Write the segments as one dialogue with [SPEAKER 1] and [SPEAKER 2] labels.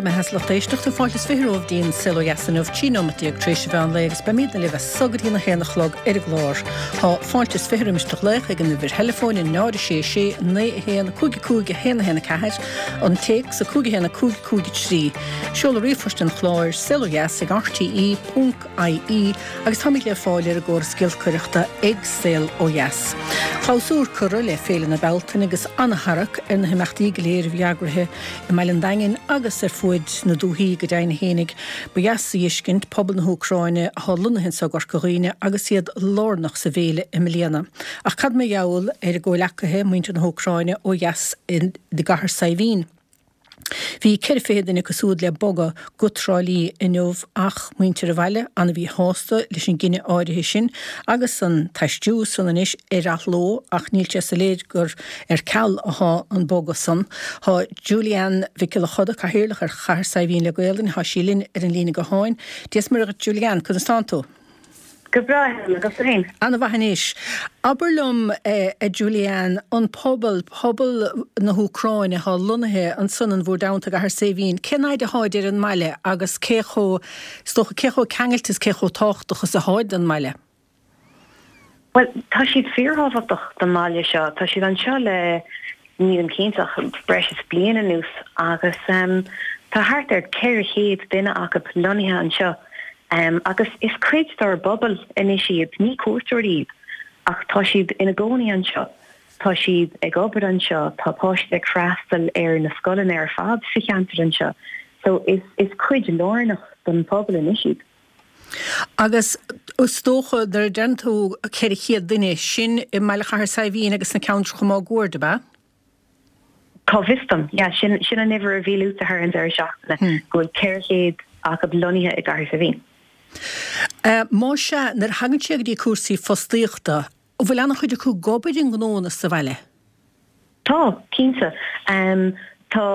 [SPEAKER 1] Go raibh maith agat a lucht éisteachta, fáilte is 20 romhaibh dtí'n Saol Ó Dheas inniu, 13 nóimeat tar éis an mheán lae agus beimidne libh as so go dtí a haon a chlog ar an gclár. Tá fáilte is 20 roimis do ghlaoch ag an uimhir theileafóin 0 6 6 9 1 5 5 1 1 4, an téacs 5 1 5 5 3. Seoladh ríomhphoist an chláir, saolodheas ag rte ponc ie agus táimid le fáil ar an gcóras giolcaireachta ag Saol Ó Dheas. Clabhsúr curtha le Féile na Bealtaine agus an-tarrac ar na himeachtaí go léir a bhí eagraithe i mbaile an Daingin agus ar fuaid na dúthaí go deimhin fhéinig. Ba dheas a fheiscint pobal na hÚcráine atá lonnaithe anso i gCorca Dhuibhne agus iad lárnach sa bhféile i mbliana. Ach cad mar gheall ar a gcomhleacaithe, muintir na hÚcráine ó dheas i gCathair Saidhbhín? Bhí 24 duine acu súd le bogadh go Trá Lí inniu ach muintir an bhaile ana-mhíshásta leis an gcinneadh áirithe sin agus an t-aistriú san anois ar athló ach níl sé soiléir gur ar ceal athá an bogadh san. Tá Julianne Mhic Giolla Choda, Cathaoirleach ar Chathair Saidhbhín le Gaolainn, thá sí linn ar an líne gutháin. Dia 's Muire dhuit Julianne, conas tánn tú?
[SPEAKER 2] Go breá, Helen, agus tú féin?
[SPEAKER 1] Ana-mhaith anois. Abair liom, a Julianne, an pobal, pobal na hÚcráine atá lonnaithe ansan in bhúr dteannta i gCathair Saidhbhín, cén fhaid atháid ar an mbaile agus cé chomh, is dócha, cé chomh ceangailte is cé chomh tábhachtach is atháid don mbaile?
[SPEAKER 2] Bhuel, tá siad fíorthábhachtach don mbaile seo. Tá siad anseo le, nílim cinnte ach breis is bliain anuas agus tá thart ar 400 duine acu lonnaithe anseo. Agus is cuid dár bpobal anois iad, ní cuairteoirí iad, ach tá siad ina gcónaí anseo, tá siad ag obair anseo, tá páistí ag freastal ar na scoileanna ar fad sa cheantar anseo. So is is cuid lárnach don phobal anois iad.
[SPEAKER 1] Agus is dócha, nuair a deireann tú 400 duine, sin i mbaile Chathair Saidhbhín agus sna ceantracha máguaird, ab ea?
[SPEAKER 2] Cá bhfios dom. Yeah, sin, sin an uimhir a bhí luaite thar an deireadh seachtaine, go bhfuil 400 acu lonnaithe i gCathair Saidhbhín.
[SPEAKER 1] Más ea, nuair a thagann sé go dtí cúrsaí fostaíochta, an bhfuil an-chuid acu ag obair i ngnóanna sa bhaile?
[SPEAKER 2] Tá, cinnte. Tá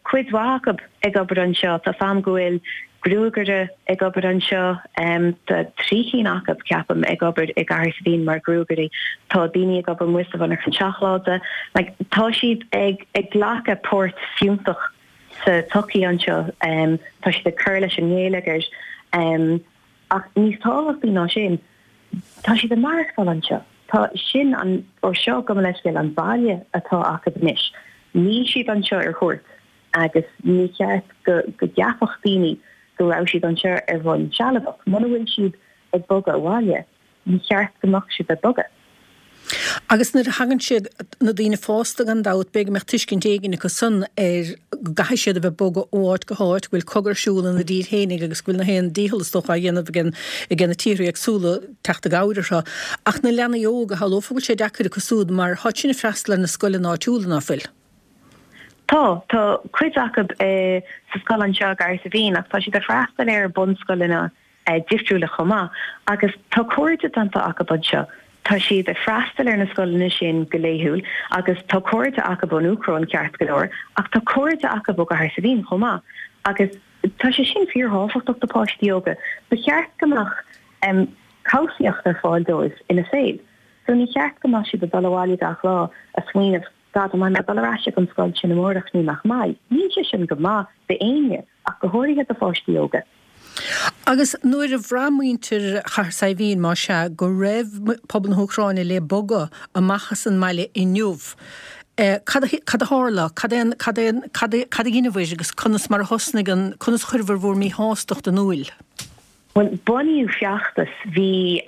[SPEAKER 2] cuid mhaith acu ag obair anseo. Tá 's a'm go bhfuil gruagaire ag obair anseo. Tá 3 cinn acu, ceapaim, ag obair i gCathair Saidhbhín mar ghruagairí. Tá daoine ag obair amuigh sa mhonarcha seacláide. Like, tá siad ag ag glacadh páirt fiúntach sa tsochaí anseo. Tá siad ag cur leis an ngeilleagar. Ach níos tábhachtaí ná sin, tá siad ag maireachtáil anseo. Tá sin an, ó seo, gabh mo leithscéal, an baile atá acu anois. Níl siad anseo ar cuairt. agus ní cheart go gceapfadh daoine go raibh siad anseo ar bhonn sealadach. Muna bhfuil siad ag bogadh abhaile, ní cheart go mbeadh siad ag bogadh.
[SPEAKER 1] Agus nuair a thagann siad, na daoine fásta gan dabht, b'fhéidir go mbeadh tuiscint éigin acu san ar go gcaithfidh siad a bheith ag bogadh ó áit go háit, go bhfuil cogadh ar siúl ina dtír fhéinig agus go bhfuil na haon dícheall is dócha á dhéanamh ag na tíortha éagsúla teacht i gcabhair orthu. Ach na leanaí óga, shamhlófá go bhfuil sé deacair acu súd mar táid sin ag freastal ar na scoileanna áitiúla, ná fuil?
[SPEAKER 2] Tá. Tá cuid acu sa scoil anseo i gCathair Saidhbhín ach tá siad ag freastal ar bunscoileanna difriúla chomh maith agus tá cairde déanta acu anseo. Tá siad ag freastal ar na scoileanna sin go laethúil agus tá cairde acu ón Úcráin ceart go leor ach tá cairde acu ó gCathair Saidhbhín chomh maith agus tá sé sin fíorthábhachtach do pháistí óga. Ba cheart go mbeadh cobhsaíocht ar fáil dóibh ina saol so ní cheart go mbeadh siad ag dul abhaile gach lá ag smaoineamh God, an mbeidh mé ag dul ar ais ag an scoil sin amárach nó nach mbeidh? Níl sé sin go maith d'éinne, ach go háirithe do pháistí óga.
[SPEAKER 1] Agus nuair a bhraith muintir Chathair Saidhbhín, más ea, go raibh pobal na hÚcráine le bogadh amach as an mbaile inniu, cad a, cad a tharla? Cad é an, cad é an, cad a, cad a dheineabhair agus conas mar a thosnaigh an, conas a chuireabhair bhur míshástacht in iúil?
[SPEAKER 2] Bhuel, bunaíodh feachtas, bhí.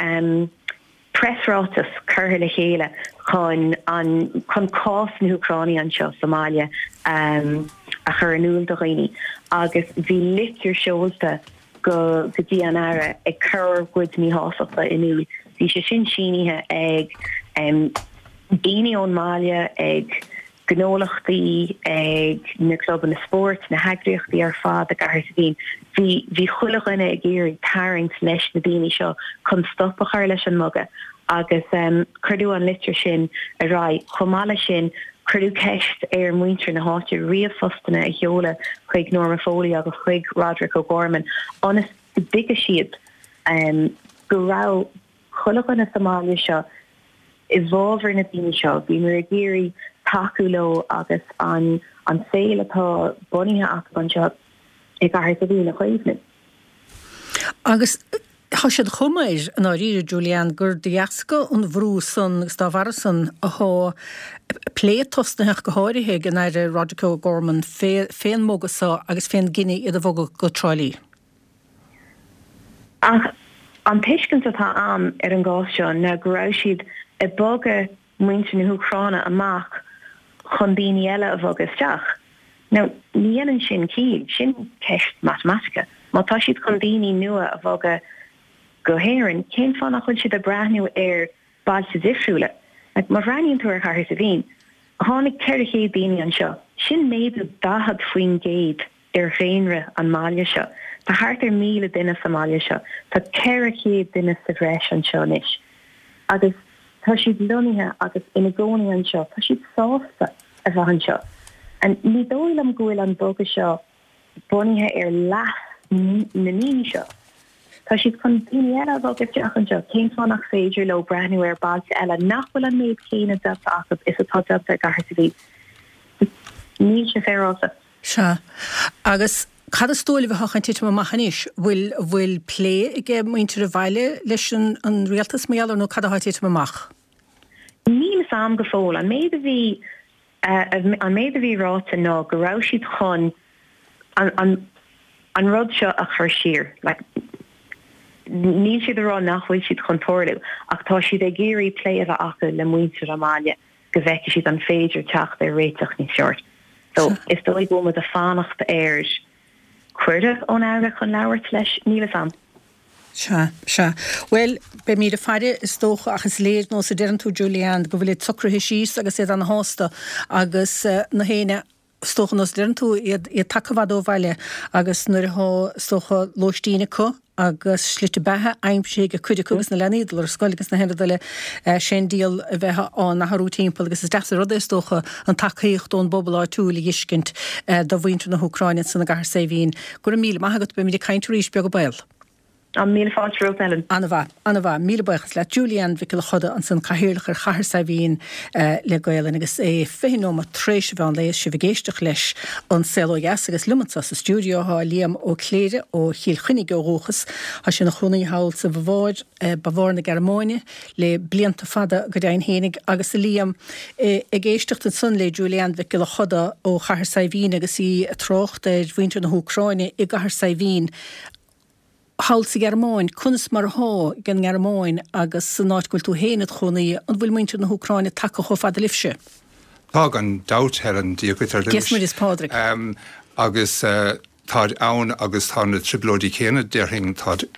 [SPEAKER 2] preasráiteas curtha le chéile chun an chun cás na hÚcráine anseo sa mbaile a chur in iúl do dhaoine agus bhí litir seolta go go dtí an Aire ag cur ár gcuid míshástachta in iúl. Bhí sé sin sínithe ag daoine ón mbaile, ag gnólachtaí, ag na clubanna spóirt, na heagraíochtaí ar fad i gCathair Saidhbhín. Bhí, bhí chuile dhuine ag iarraidh tarraingt leis na daoine seo chun stop a chur leis an mbogadh agus cuireadh an litir sin ar aghaidh. Chomh maith leis sin, cuireadh ceist ar mhuintir na háite ríomhphostanna a sheoladh chuig Norma Foley agus chuig Roderic O'Gorman ionas go dtuigfeadh siad go raibh chuile dhuine sa mbaile seo i bhfabhar na daoine seo. Bhíomar ag iarraidh tacú leo agus an an saol atá bunaithe acu anseo. i gCathair Saidhbhín a chaomhnú.
[SPEAKER 1] Agus tá sé de chuma air, i ndáiríre, Julie-Anne, gur de dheasca an bhrú san agus dá bharra san athá plé tosnaithe ach go háirithe ag an Aire Roderic O'Gorman fén mbogadh so agus fén gcinneadh iad a bhogadh go Trá Lí.
[SPEAKER 2] Ach an tuiscint atá a'm ar an gcás seo ná go raibh siad ag bogadh muintir na hÚcráine amach chun daoine eile a bhogadh isteach. Now, ní dhéanann sin ciall, sin ceist matamaitice. Má tá siad chun daoine nua a bhogadh go hÉirinn, cén fáth nach bhfuil siad ag breathnú ar bailte difriúla? Like, má bhreathnaíonn tú ar Chathair Saidhbhín, tháinig 400 daoine anseo, sin méadú 40% ar dhaonra an mbaile seo. Tá thart ar 1,000 duine sa mbaile seo. Tá 400 duine sa bhreis anseo anois. Agus tá siad lonnaithe agus ina gcónaí anseo. Tá siad sásta a bheith anseo. And ní dóigh liom go bhfuil an bogadh seo bunaithe ar leas na ndaoine seo. Tá siad chun daoine eile a bhogadh isteach anseo. Cén fáth nach féidir leo breathnú ar bailte eile nach bhfuil an méid céanna déanta acu is atá déanta i gCathair Saidhbhín? Níl sé féaráilte.
[SPEAKER 1] Sea. Agus cad is dóigh libh atá chun titim amach anois? Bhfuil, bhfuil plé ag muintir an bhaile leis an, an rialtas mar gheall air nó cad atá ag titim amach?
[SPEAKER 2] Níl fhios a'm go fóill. An méid a bhí, an méid a bhí ráite ná go raibh siad chun an, an, an rud seo a chur siar. Like, níl siad ag rá nach bhfuil siad chun tarlú ach tá siad ag iarraidh plé a bheith acu le muintir an bhaile. go bhfeicfidh siad an féidir teacht ar réiteach níos fearr. So, is dóigh go bhfuil muid ag fanacht ar cuireadh ón Aire chun labhairt leis, níl fhios a'm.
[SPEAKER 1] Sea, sea. Bhuel, beimid ag faire, is dócha, ach is léir, nós a deireann tú, Julie-Anne, go bhfuil iad socraithe síos agus iad ana-shásta agus na héinne Is dócha, nós a deireann tú, iad tagtha i bhfad ó bhaile agus nuair atá, is dócha, lóistín acu agus slite beatha aimsithe ag cuid acu agus na leanaí ag dul ar scoil agus na haon rud eile, sé an diabhal a bheith á n-athrú timpeall agus is deas an rud é, is dócha, an tacaíocht ón bpobal áitiúil a dh'fheiscint do mhuintir na hÚcráine ansan i gCathair Saidhbhín. Go raibh míle maith agat, beimid ag caint arís, beag an baol.
[SPEAKER 2] Tá míle fáilte romhat, Ellen.
[SPEAKER 1] An-mhaith, an-mhaith. Míle buíochas leat. Julie-Anne Mhic Giolla Choda ansan, Cathaoirleach ar Chathair Saidhbhín le Gaolainn agus é 20 nóiméad tar éis an mheán lae is sibh ag éisteacht leis An Saol Ó Dheas agus liom anso sa stiúideo tá Liam Ó Cléire ó Chill Chainnigh ó dhúchas. Tá sé ina chónaí thall sa Bhaváir, Baváir na Gearmáine le blianta fada go deimhin fhéinig agus a Liam, ag éisteacht ansan le Julie-Anne Mhic Giolla Choda ó Chathair Saidhbhín agus í ag trácht ar mhuintir na hÚcráine i gCathair Saidhbhín. Thall sa Ghearmáin, conas mar athá ag an nGearmáin agus san áit go bhfuil tú féin id chónaí, an bhfuil muintir na hÚcráine tagtha chomh fada libhse?
[SPEAKER 3] Tá gan dabht, Helen, Dia dhuit ar dtús.
[SPEAKER 1] Dia 's Muire is Pádraig.
[SPEAKER 3] Agus táid ann agus tá na trioblóidí céanna, déarfainn, táid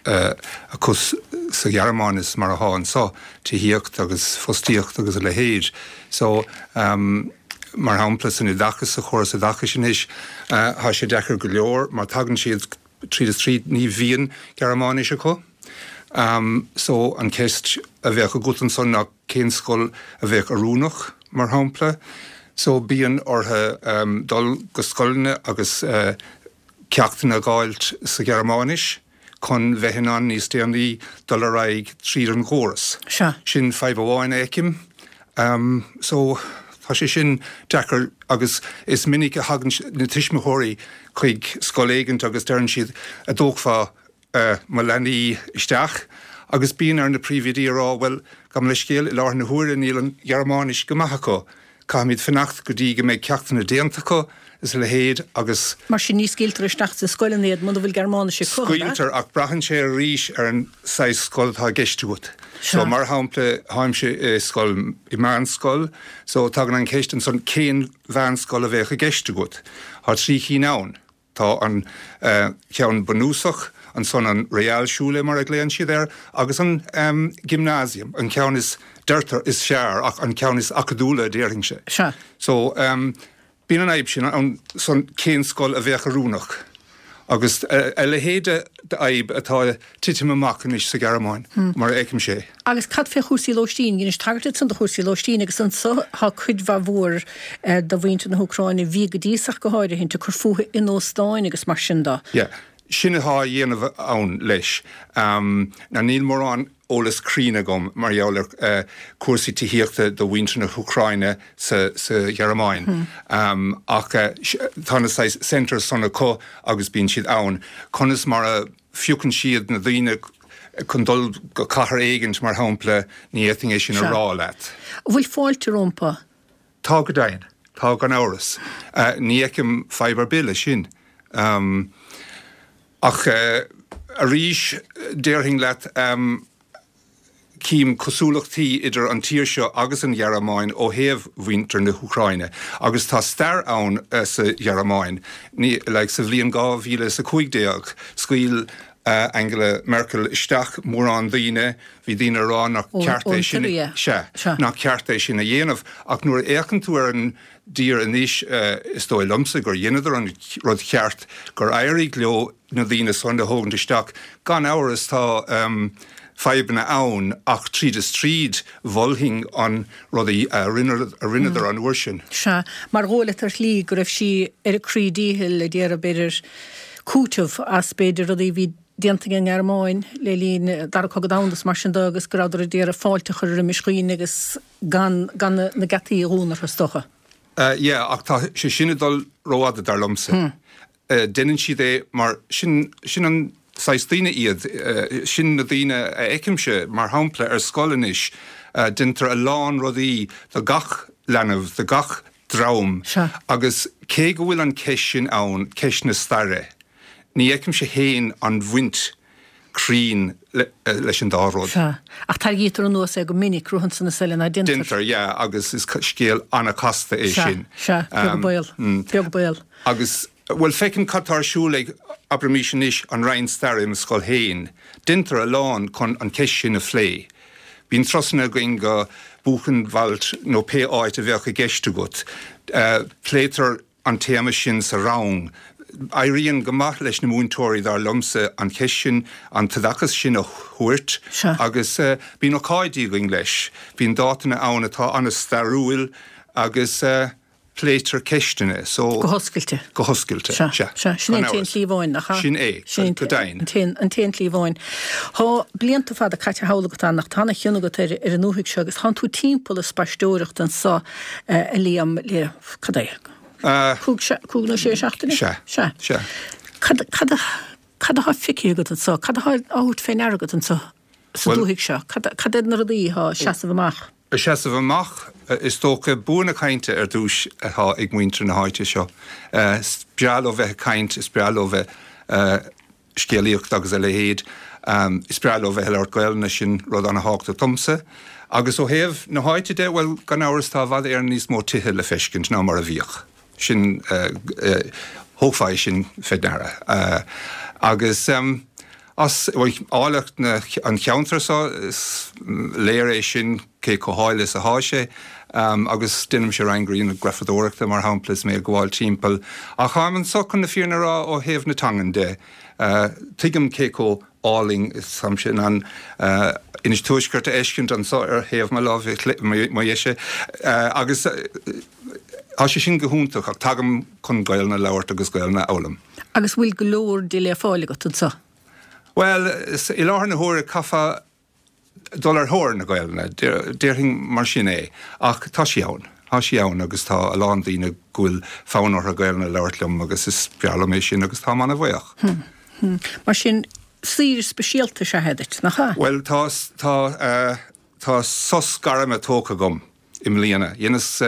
[SPEAKER 3] acu sa Ghearmáin is mar athá anso, tithíocht agus fostaíocht agus a leithéid. So, mar shampla, san oideachas, sa chóras oideachais anois, tá sé deacair go leor mar tagann siad, Tríd is tríd ní bhíonn Gearmáinis acu. So an cheist a bheadh agat ansan ná cén scoil a bheadh oiriúnach, mar shampla. So bíonn orthu dul go scoileanna agus ceachtanna a dh'fháilt sa Ghearmáinis chun bheith in ann níos déanaí dul ar aghaidh tríd an gcóras.
[SPEAKER 1] Sea.
[SPEAKER 3] Sin fadhb amháin a fheicim. So tá sé sin deacair agus is minic a thagann na tuismitheoirí chuig scoil éigint agus deireann siad a' dtógfá mo leanaí isteach agus bíonn ar na príomhoidí a rá bhuel gabh mo leithscéal i láthair na huaire níl an Ghearmáinis go maith acu, caithfimid fanacht go dtí go mbeidh ceachtanna déanta acu is a leithéid agus.
[SPEAKER 1] Mar sin ní scaoiltear isteach sna scoileanna iad muna bhfuil Gearmáinis acu, ab
[SPEAKER 3] ea? Scaoiltear ach braitheann sé arís ar an saghas scoil atá i gceist agat. So mar shampla táimse i scoil, i meánscoil, so tagann an cheist ansan cén mheánscoil a bheadh i gceist agat? Tá 3 chinn ann. Tá an ceann bunúsach, ansan an Realschule mar a ghlaonn siad air, agus an Gymnasium, an ceann is, deirtear, is fearr ach an ceann is acadúla déarfainnse.
[SPEAKER 1] Sea.
[SPEAKER 3] So, bíonn an fhadhb sin ann san cén scoil a bheadh oiriúnach agus a leithéid d'fhadhb atá ag titim amach anois sa Ghearmáin, mar a fheicimse é.
[SPEAKER 1] Agus cad fé chúrsaí lóistín? Dheinis tagairt ansan do chúrsaí lóistín agus anso tá cuid mhaith mhór de mhuintir na hÚcráine, a bhí go dtí so ach go háirithint, ag cur fúthu in óstáin agus mar sin de.
[SPEAKER 3] Yeah. Sin atá á dhéanamh ann leis. Now níl mórán eolas cruinn agam mar gheall ar cúrsaí tithíochta do mhuintir na hÚcráine sa Ghearmáin ach tá na saghas centres san acu agus bíonn siad ann. Conas mar a phiocann siad na daoine chun dul go cathair éigint mar shampla, ní fhéadfainn é sin a rá leat.
[SPEAKER 1] An bhfuil fáilte rompu?
[SPEAKER 3] Tá go deimhin. Tá gan amhras. Ní fheicim fadhb ar bith leis sin. Ach arís, déarfainn leat, cím cosúlachtaí idir an tír seo agus an Ghearmáin ó thaobh mhuintir na hÚcráine. Agus tá stair ann sa Ghearmáin. Like, sa bhliain 2015, scaoil Angela Merkel isteach mórán daoine, bhí daoine ag rá nach ceart é sin, sea, nach ceart é sin a dhéanamh. Ach nuair a fhéachann tú ar an dtír anois, is dóigh liomsa gur dheineadar an rud cheart, gur éirigh leo na daoine san a thógaint isteach. Gan amhras tá fadhbanna ann ach tríd is tríd mholfainn an rud a rinneadar an uair sin.
[SPEAKER 1] Sea, mar dhóigh leat ar shlí go raibh sí ar a croí díchill ag iarraidh b'fhéidir cúiteamh as b'fhéidir rudaí a bhí déanta ag an nGearmáin le linn Dara Cogadh Domhanda is mar sin de agus go rabhadar ag iarraidh fáilte a chur roimis dhaoine agus gan gan na geataí a dhúnadh orthu is dócha.
[SPEAKER 3] Yeah, ach tá sé sin ag dul rófhada dar liomsa. Deineann siad é mar sin, sin an saghas daoine iad, sin na daoine a fheicimse, mar shampla, ar scoil anois, deintear a lán rudaí do gach leanbh, do gach dream agus cé go bhfuil an ceist sin ann, ceist na staire, ní fheicimse fhéin an bhaint cruinn leis an dá rud.
[SPEAKER 1] Sea. Ach tarraingítear anuas é go minic, rud ansan is eile, ná déantar?
[SPEAKER 3] Déantar, yeah, agus is scéal an-chasta é sin.
[SPEAKER 1] Sea, sea, beag baol, beag baol.
[SPEAKER 3] Agus, bhuel, feicim cad tá ar siúl ag, abraimís anois, an Roinn Staire i mo scoil féin. Deintear a lán chun an cheist sin a phlé. Bíonn turasanna againn go Buchenwald nó pé áit a bheadh i gceist agat. Pléitear an téama sin sa rang. Éiríonn go maith leis na múinteoirí, dar liomsa, an cheist sin, an t-oideachas sin a thabhairt agus bíonn ócáidí againn leis. Bíonn dátanna ann atá an-stairiúil agus pléitear ceisteanna
[SPEAKER 1] so. Go hoscailte.
[SPEAKER 3] Go hoscailte, sea.
[SPEAKER 1] Sea, sin é an t-aon tslí amháin, nach
[SPEAKER 3] ea? Sin é, go deimhin.
[SPEAKER 1] An t-aon tslí amháin. Tá blianta fada caite thall agat ann ach tá ana-chion agat ar an ndúthaigh seo agus tánn tú timpeall ag spaisteoireacht anso, a Liam, le. Cad é? 5 nó 6 seachtaine?
[SPEAKER 3] Sea.
[SPEAKER 1] Sea.
[SPEAKER 3] Sea.
[SPEAKER 1] Cad, cad, cad atá feicthe agat anso? Cad atá á thabhairt fé ndeara agat anso sa dúthaigh seo? Cad, cad iad na rudaí atá ag seasamh amach?
[SPEAKER 3] Ag seasamh amach, is dócha, bua na cainte ar dtúis atá ag muintir na háite seo. Is breá leo bheith ag caint, is breá leo bheith scéalaíocht agus a leithéid. Is breá leo bheith ag labhairt Gaelainne, sin rud ana-thábhachtach domsa. Agus ó thaobh na háite de, bhuel, gan amhras tá i bhfad Éireann níos mó tithe le feiscint ná mar a bhíodh. Sin, thógfá é sin fé ndeara. Agus as, bhuel, áilleacht na, an cheantair seo, is léir é sin cé chomh háille is athá sé. Agus déanaimse roinnt grianghrafadóireachta, mar shampla, is mé ag gabháil timpeall. Ach táim anso chun na fírinne a rá ó thaobh na teangan de. Tuigim cé chomh álainn is táimse in ann Inis Tuaiscirt a fheiscint anso ar thaobh mo láimhe, mo dheise. Agus tá sé sin go hiontach ach tagaim chun Gaelainn a labhairt agus Gaelainn a fhoghlaim.
[SPEAKER 1] Agus bhfuil go leor di le fáil agat anso?
[SPEAKER 3] Bhuel, i láthair na huaire caithfeá dul ar thóir na Gaelainne, déarfainn mar sin é. Ach tá sí ann. Tá sí ann agus tá a lán daoine go bhfuil fonn orthu Gaelainn a labhairt liom agus is breá liom é sin agus táim an-bhuíoch.
[SPEAKER 1] Mar sin, saoire speisialta is ea é duit, nach ea?
[SPEAKER 3] Bhuel, tá, tá, tá sos gairme tógtha agam. i mbliana. Dheineas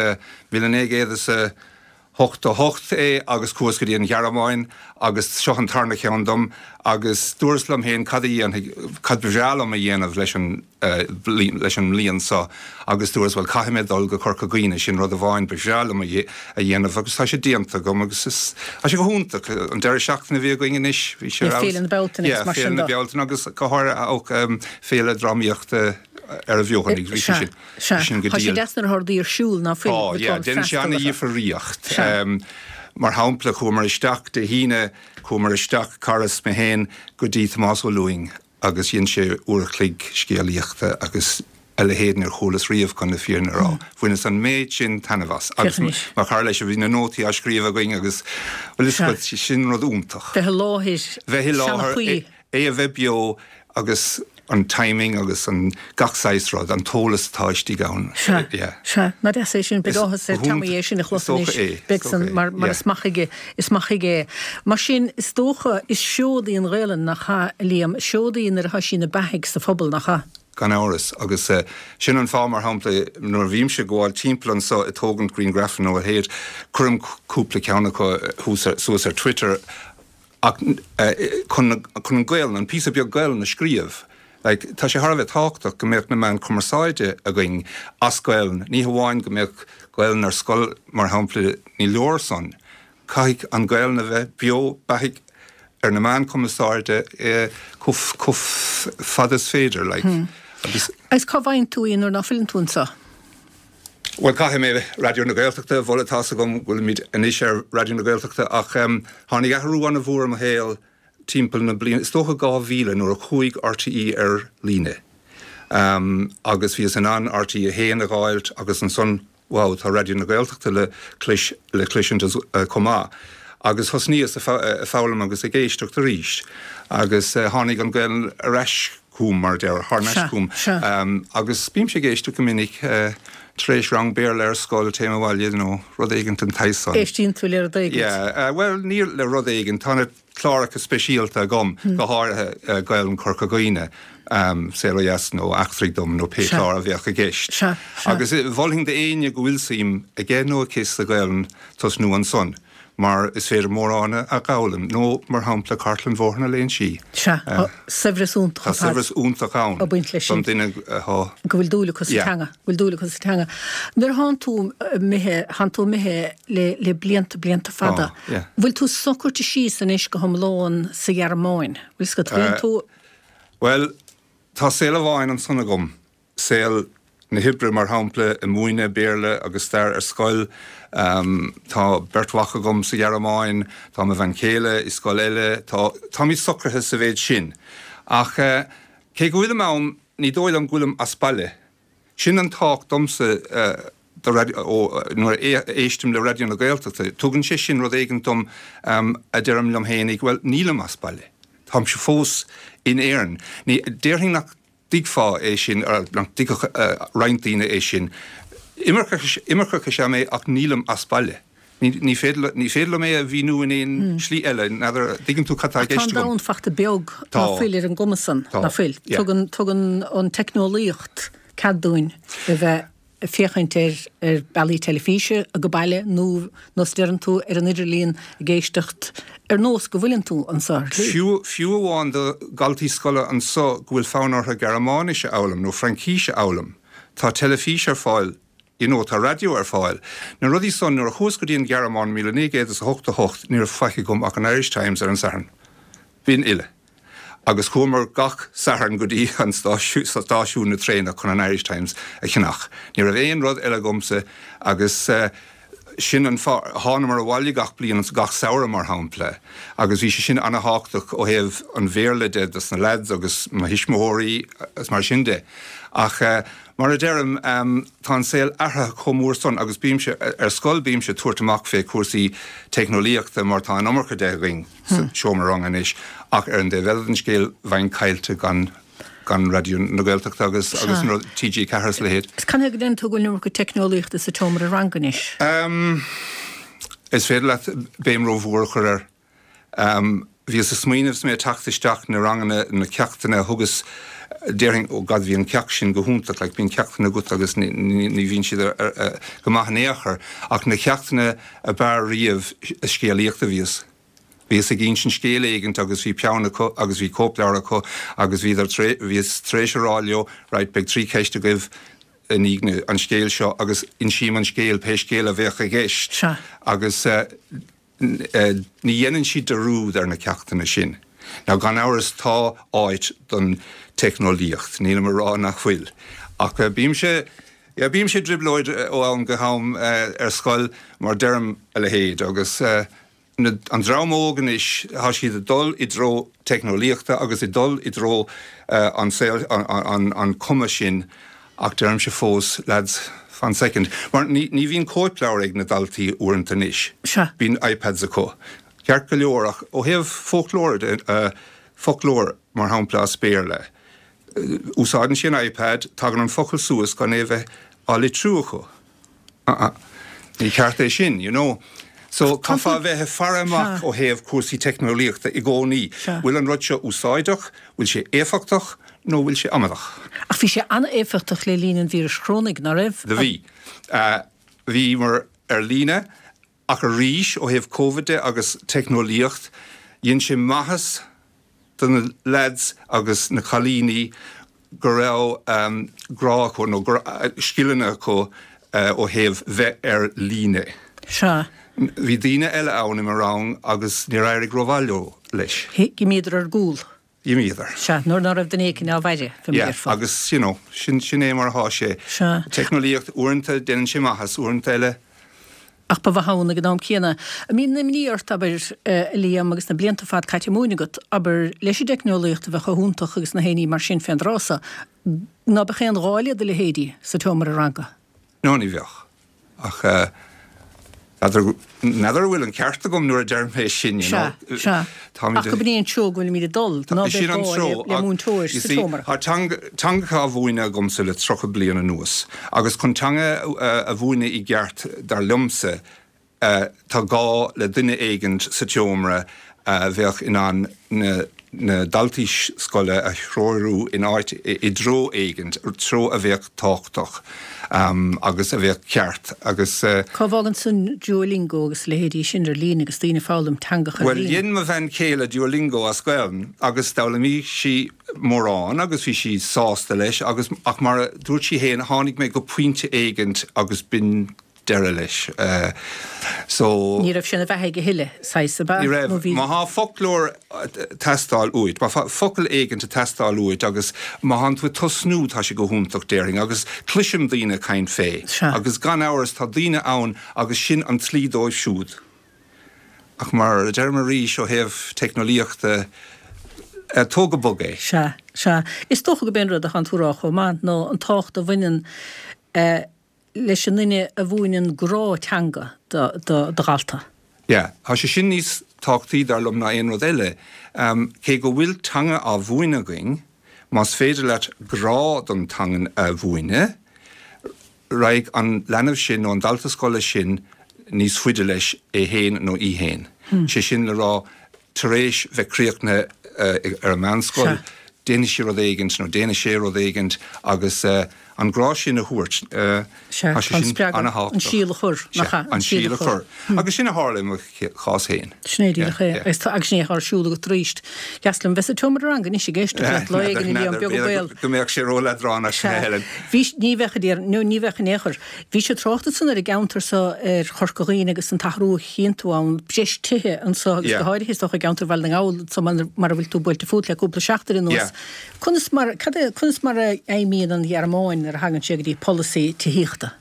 [SPEAKER 3] 1988 é agus chuas go dtí an Ghearmáin agus seo an tarna ceann dom agus dúras liom féin cad a dhéanfaidh, cad ba bhreá liom a dhéanamh leis an, leis an mbliain seo agus dúras bhuel caithfidh mé dul go Corca Dhuibhne, sin rud amháin ba bhreá liom a dhéanamh agus tá sé déanta agam agus is, tá sé go hiontach. An deireadh seachtaine a bhí againn anois, bhí sé ar
[SPEAKER 1] fheabhas. Féile na Bealtaine agus mar sin
[SPEAKER 3] de. Féile na Bealtaine agus go háirithe féile drámaíochta ar an bhFeothanaigh, bhí sé sin.
[SPEAKER 1] Sea,
[SPEAKER 3] Sin go
[SPEAKER 1] tá sé
[SPEAKER 3] diail.
[SPEAKER 1] deas nuair atá rudaí ar siúl ná fuil
[SPEAKER 3] Tá, yeah, déanann sé ana-dhifríocht. Mar shampla, chuamar isteach Dé hAoine, chuamar isteach, cara is mé féin, go dtí Tomás Ó Lúing agus dhein sé uair a chloig scéalaíochta agus. A leithéid níor chualas riamh, chun na fírinne a rá. Bhaineas an méid sin taitneamh as. Agus mar chara leis, bhí na nótaí á scríobh againn agus, bhuel, is rud, sin rud iontach.
[SPEAKER 1] Bheith i láthair,
[SPEAKER 3] Bheith i láthair, é a bheith beo agus an timing agus an gach saghas rud, an t-eolas atá istigh ann.
[SPEAKER 1] Sea, sea. Nach deas é sin, beidh áthas ar Tommy é sin a chlos anois, beidh san, mar, mar is maith aige, is maith aige é. Mar sin, is dócha, is seod í an Ghaelainn, nach ea, a Liam? Is seod í nuair atá sí ina beathaidh sa phobal, nach ea?
[SPEAKER 3] Gan amhras. Agus sin an fáth, mar shampla, nuair a bhímse ag gabháil timpeall anso ag tógaint grianghrafanna nó a leithéid, cuirim cúpla ceann acu thuas, suas ar Twitter ach chun, chun an Gaelainn, an píosa beag Gaelainn a scríobh. Like, tá sé thar a bheith tábhachtach go mbeadh na meáin cumarsáide againn as Gaelainn. Ní hamháin go mbeadh Gaelainn ar scoil, mar shampla, ní leor san. Caithfidh an Ghaelainn a bheith beo beathaidh ar na meáin chumarsáide chomh fada is féidir, like,
[SPEAKER 1] agus. Agus cá bhfaigheann tú í nuair ná fuileann tú anseo?
[SPEAKER 3] Bhuel, caithfidh mé Raidió na Gaeltachta a mholadh, tá's agam go bhfuilimid anois ar Raidió na Gaeltachta ach tháinig athrú an-mhór i mo shaol timpeall na bliana, is dócha 2000, nuair a chuaigh RTÉ ar líne agus bhíos in ann RTÉ 1 a dh'fháilt agus ansan Wow, tá Raidió na Gaeltachta le clois, le cloisint chomh maith. Agus thosnaíos ag foghlaim agus ag éisteacht arís. Agus tháinig an Ghaelainn ar ais chugam, mar a déarfá, thar n-ais chugam. Agus bímse ag éisteacht go minic tar éis rang Béarla ar scoil, téim abhaile nó rud éigint den tsaghas
[SPEAKER 1] san. Éistíonn tú le rud
[SPEAKER 3] éigint? Yeah, bhuel, ní le rud éigint. Tá na. cláracha speisialta agam, go háirithe Gaelainn Chorca Dhuibhne, Saol Ó Dheas nó Eachtraigh Dom nó pé clár a bheadh i gceist. Agus mholfainn d'éinne go bhfuil suim aige nó aici sa Ghaelainn tosnú ansan, mar is féidir mórán a dh'fhoghlaim, nó mar shampla Cartlann Bhóthar na Léinsí.
[SPEAKER 1] Sea, tá saibhreas iontach
[SPEAKER 3] Tá saibhreas iontach ann
[SPEAKER 1] ag baint leis
[SPEAKER 3] sin. don duine atá.
[SPEAKER 1] go bhfuil dúil acu sa teanga, go bhfuil dúil acu sa teanga. Nuair a thánn tú imithe, thánn tú imithe le le blianta, blianta fada. Bhfuil tú socraithe síos anois go hiomlán sa Ghearmáin? Bhfuil 's agat, bhfuil tú.
[SPEAKER 3] Bhuel, tá saol amháin ansan agam, saol na hoibre mar shampla, ag múineadh Béarla agus stair ar scoil. Tá beirt mhac agam sa Ghearmáin, tá mo bhean chéile i scoil eile, tá, táimid socraithe sa mhéid sin. Ach cé go bhfuilim ann, ní dóigh liom go bhfuilim as baile. Sin an tábhacht domsa do nuair a éistim le Raidió na Gaeltachta. Tugann sé sin rud éigin dom a deirim liom fhéinig, bhuel, nílim as baile. Táimse fós in Éirinn. Ní, déarfainn nach dtuigfeá é sin, nach dtuigfeadh roinnt daoine é sin. Imirceach, imirceach is ea mé ach nílim as baile. Ní féidir, ní féidir liom é a mhíniú in aon slí eile. N'fheadar, dtuigeann tú cad tá i
[SPEAKER 1] gceist agam. Tá an domhan fachta beag ná fuil ar an gcuma san, ná fuil. Tugann, tugann an teicneolaíocht cead dúinn a bheith ag féachaint ar, ar bealaí teilifíse age baile nó, nós a deireann tú, ar an idirlíon ag éisteacht ar nós go bhfuileann tú anso ar
[SPEAKER 3] shlí. Fiú, fiú amháin do dhaltaí scoile anso go bhfuil fonn orthu Gearmáinis a fhoghlaim nó Fraincís a fhoghlaim, tá teilifís ar fáil You know, tá raidió ar fáil. Na rudaí san, nuair a chuas go dtí an Ghearmáin 1988 ní raibh faic agam ach an Irish Times ar an Satharn. B'in uile. Agus chuamar gach Satharn go dtí an stáisiún na traenach chun an Irish Times a cheannach. Ní raibh aon rud eile agamsa agus sin an fáth, thánamar abhaile gach bliain, gach samhradh mar shampla, agus bhí sé sin ana-thábhachtach ó thaobh an Bhéarla de dos na lads agus mo thuismitheoirí agus mar sin de. Ach Mar a deirim, tá an saol athraithe chomh mór san agus bímse, ar scoil bímse ag tabhairt amach fé chúrsaí teicneolaíochta mar tá an iomarca de againn sa seomra ranga anois ach ar an dtaobh eile den scéal bheinn caillte gan gan Raidió na Gaeltachta agus agus an rud TG4 is a leithéid.
[SPEAKER 1] Is canathaobh go ndeireann tú go bhfuil an iomarca teicneolaíochta sa tseomra ranga anois?
[SPEAKER 3] Is féidir leat béim rómhór a chur air. Bhíos ag smaoineamh is mé ag teacht isteach na ranganna, na ceachtanna a thugas, déarfainn, oh God bhí an ceacht sin go hiontach, like bíonn ceachtanna agat agus ní bhíonn siad go maith in aon chor, ach na ceachtanna a b'fhearr riamh, scéalaíocht a bhíos. Bhíos ag insint scéal éigint agus bhí peann acu agus bhí cóipleabhar acu agus bhíodar tar, bhíos tar éis a rá leo, right, beidh trí cheist agaibh i ndiaidh an scéil seo agus insím an scéal, pé scéal a bheadh i gceist agus. Ní dhéanann siad dearúd ar na ceachtanna sin. Now gan amhras tá áit don teicneolaíocht, nílim a rá nach bhfuil. Ach bímse, yeah, bímse i dtrioblóid ó am go ham ar scoil mar deirim a leithéid agus na, an dream óg anois, tá siad ag dul i dtreo teicneolaíochta agus ag dul i dtreo an saol, an, an, an cuma sin. Ach deirimse fós, lads, fan soicind. Mar ní ní bhíonn cóipleabhar ag na daltaí uaireanta anois.
[SPEAKER 1] Sea.
[SPEAKER 3] Bíonn iPads acu. Ceart go leor, ach ó thaobh foclóir de, foclóir, mar shampla, as Béarla, úsáideann sí an iPad, tagann an focal suas gan é a bheith á litriú acu. Uh-uh. Ní ceart é sin, you know. So, caithfeá a bheith ag faire amach ó thaobh cúrsaí teicneolaíochta i gcónaí. Bhfuil an rud seo úsáideach, bhfuil sé éifeachtach nó bhfuil sé amadach?
[SPEAKER 1] Ach bhí sé an-éifeachtach le linn an víris chorónaigh, ná raibh?
[SPEAKER 3] Do bhí. Bhíomar ar líne ach arís ó thaobh Covid de agus teicneolaíocht, dhein sé maitheas do na leaids agus na cailíní go raibh grá acu nó go raibh scileanna acu ó thaobh bheith ar líne.
[SPEAKER 1] Sea.
[SPEAKER 3] Bhí daoine eile ann i mo rang agus níor éirigh rómhaith leo leis.
[SPEAKER 1] D'imíodar ar gcúl.
[SPEAKER 3] D'imíodar.
[SPEAKER 1] Sea, nuair ná raibh duine éicint á bhfaire, fé mar a
[SPEAKER 3] Yeah,
[SPEAKER 1] déarfá.
[SPEAKER 3] agus you know, sin, sin é mar atá sé.
[SPEAKER 1] Sea.
[SPEAKER 3] Teicneolaíocht, uaireanta déanann sé maitheas, uaireanta eile.
[SPEAKER 1] Ach ba mhaith ann ag an am céanna. An mbíonn imní ort, abair, a Liam, agus na blianta fada caite ag múineadh agat, abair, leis an dteicneolaíocht a bheith chomh hiontach agus na haon ní mar sin fén dtráth so, ná beadh aon ghá le do leithéidí sa tseomra ranga?
[SPEAKER 3] No, ní bheadh. Ach n'fheadar, n'fheadar an bhfuil an ceart agam nuair a deirim é sin, you know.
[SPEAKER 1] Sea, sea.
[SPEAKER 3] Táimid
[SPEAKER 1] Ach gurb in é an treo go bhfuilimid ag dul, ná beidh
[SPEAKER 3] Sin an
[SPEAKER 1] gá
[SPEAKER 3] treo,
[SPEAKER 1] le, le
[SPEAKER 3] ach,
[SPEAKER 1] múinteoir
[SPEAKER 3] you
[SPEAKER 1] sa
[SPEAKER 3] see,
[SPEAKER 1] tseomra.
[SPEAKER 3] tá teanga, teangacha á mhúineadh agamsa le 30 bliain anuas, agus chun teanga a mhúineadh i gceart, dar liomsa, tá gá le duine éigint sa tseomra a bheadh in ann na na daltaí scoile a threorú in áit, i dtreo éigint, treo a bheadh tábhachtach agus a bheadh ceart agus.
[SPEAKER 1] Cá bhfágann san Duolingo agus a leithéidí sin ar líne agus daoine ag foghlaim teangacha ar
[SPEAKER 3] Bhuel,
[SPEAKER 1] líne?
[SPEAKER 3] dhein mo bhean chéile Duolingo as Gaelainn agus d'fhoghlaimigh sí mórán agus bhí sí sásta leis agus ach mar a dúirt sí fhéin, tháinig mé go pointe éigint agus b'in deireadh leis. So.
[SPEAKER 1] Ní raibh sé ina bheathaidh a thuilleadh, saghas, ab ea?
[SPEAKER 3] Ní raibh.
[SPEAKER 1] Nó bhí.
[SPEAKER 3] Má thá foclóir ag teastáil uait, má thá focal éigint ag teastáil uait agus má thánn tú ag tosnú, tá sé go hiontach, déarfainn, agus cloisim daoine ag caint fé.
[SPEAKER 1] Sea.
[SPEAKER 3] Agus gan amhras tá daoine ann agus sin an tslí dóibh siúd. Ach mar a deirim arís, ó thaobh teicneolaíochta, tóg go bog é.
[SPEAKER 1] Sea, sea. Is dócha gurb é an rud a thánn tú a rá chomh maith ná an tábhacht a bhaineann leis an nduine a mhúineann grá teanga do dhalta.
[SPEAKER 3] Yeah, tá sé sin níos tábhachtaí dar liom ná aon rud eile. Cé go bhfuil teanga á mhúineadh againn, más féidir leat grá don teangain a mhúineadh, raghaidh an leanbh sin nó an dalta scoile sin níos faide leis é fhéin nó í fhéin. Sé sin le rá, tar éis bheith críochnaithe ar an meánscoil, déanfaidh sí rud éigint nó déanfaidh sé rud éigint agus an grá sin a thabhairt,
[SPEAKER 1] tá sé sin an-thábhachtach. An síol a chur, nach
[SPEAKER 3] ea? An síol a chur. Agus sin a tharla i mo chás féin.
[SPEAKER 1] Sin é díreach é. Agus sin é atá ar siúl agat arís. Dheas liom bheith sa tseomra ranga anois ag éisteacht leat lá éigin a Liam, beag an baol.
[SPEAKER 3] Go mbeadh sé ró-leadránach, a Helen.
[SPEAKER 1] Bhí, ní bheadh a dear, nó ní bheadh in aon chor. Bhís ag trácht ansan ar an gceantar so ar Chorca Dhuibhne agus an t-athrú a chíonn tú ann, breis tithe anso agus go háirithe is dócha i gceantar Bhaile na nGall anso mar a bhfuil tú buailte fút le cúpla seachtain anuas. Conas mar, cad é, conas mar a fheidhmíonn an Ghearmáin nuair a thagann sé go dtí polasaí tithíochta?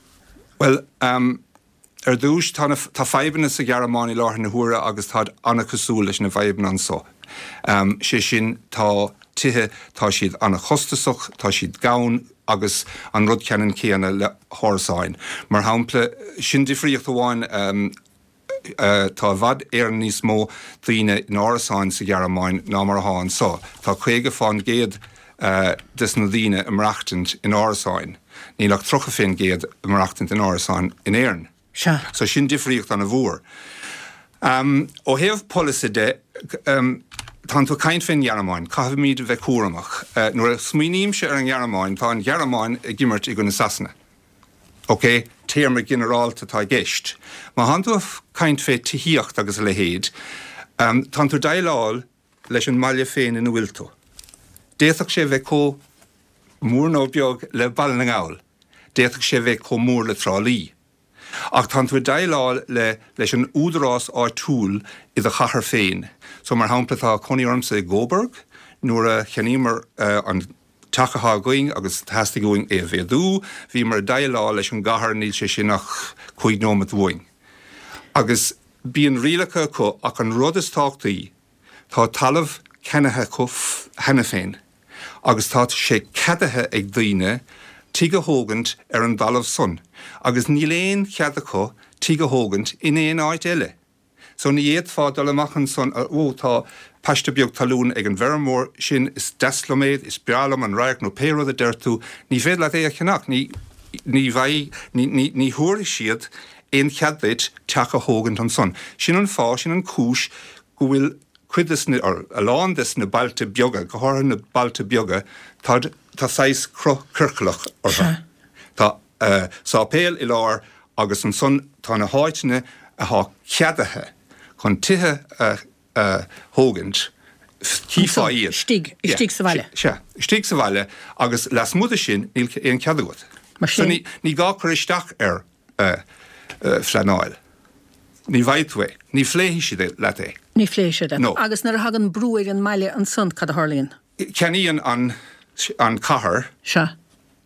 [SPEAKER 3] Bhuel, ar dtúis, tá na, tá fadhbanna sa Ghearmáin i láthair na huaire agus táid an-chosúil leis na fadhbanna anso. Sé sin, tá tithe, tá siad an-chostasach, tá siad gann agus an rud ceannann céanna le hárasáin. Mar shampla, sin difríocht amháin, tá i bhfad Éireann níos mó daoine in árasáin sa Ghearmáin ná mar atá anso. Tá 50 fán gcéad des na daoine ag maireachtaint in árasáin. Níl ach 30 fén gcéad ag maireachtaint in árasáin in Éirinn.
[SPEAKER 1] Sea.
[SPEAKER 3] So sin difríocht an-mhór. Ó thaobh polasaí de, tánn tú ag caint fén nGearmáin, caithfimid a bheith cúramach. Nuair a smaoinímse ar an nGearmáin, tá an Ghearmáin ag imirt i gcoinne Sasana. Ok, téarma ginearálta atá i gceist. Má thánn tú ag caint fé tithíocht agus a leithéid, tánn tú ag déileáil leis an mbaile féin ina bhfuil tú. D'fhéadfadh sé bheith chomh mór nó beag le Baile na nGall. D'fhéadfadh sé bheith chomh mór le Trá Lí. Ach tánn tú ag déileáil le leis an údarás áitiúil i do chathair féin. So mar shampla tá cónaí ormsa i gCoburg, nuair a cheannaíomar an teach atá againn agus theastaigh uainn é a mhéadú, bhíomar ag déileáil leis an gcathair, níl sé sin ach cúig nóimeat uainn. Agus bíonn rialacha acu ach an rud is tábhachtaí, tá talamh ceannaithe acu cheana féin agus tá sé ceadaithe ag daoine. tigh a thógaint ar an dtalamh san agus níl aon chead acu tigh a thógaint in aon áit eile. So ní fhéadfá dul amach ansan, ó tá paiste beag talún ag an bhfeirmeoir sin, is deas liom é, is breá liom an radharc nó pé rud a deir tú, ní féidir leat é a cheannach, ní, ní bheidh, ní, ní, ní thabharfaidh siad aon chead duit teach a thógaint ansan. Sin an fáth, sin an cúis go bhfuil cuid des na, or a lán des na bailte beaga, go háirithe na bailte beaga, tá, tá saghas cruth ciorclach orthu. Tá sáipéal i lár agus ansan tá na háiteanna athá ceadaithe chun tithe a thógaint,
[SPEAKER 1] chífeá iad. Istigh, istigh sa bhaile.
[SPEAKER 3] Sea, istigh sa bhaile agus lasmuigh de sin níl aon chead agat. Mar sin. So ní gá cur isteach ar phleanáil. Ní bhfaighidh tú é. Ní phléifidh siad leat é.
[SPEAKER 1] Ní phléifidh siad leat. No. Agus nuair a thagann brú ar an mbaile ansan, cad a tharlaíonn?
[SPEAKER 3] Ceannaíonn an an cathair.
[SPEAKER 1] Sea.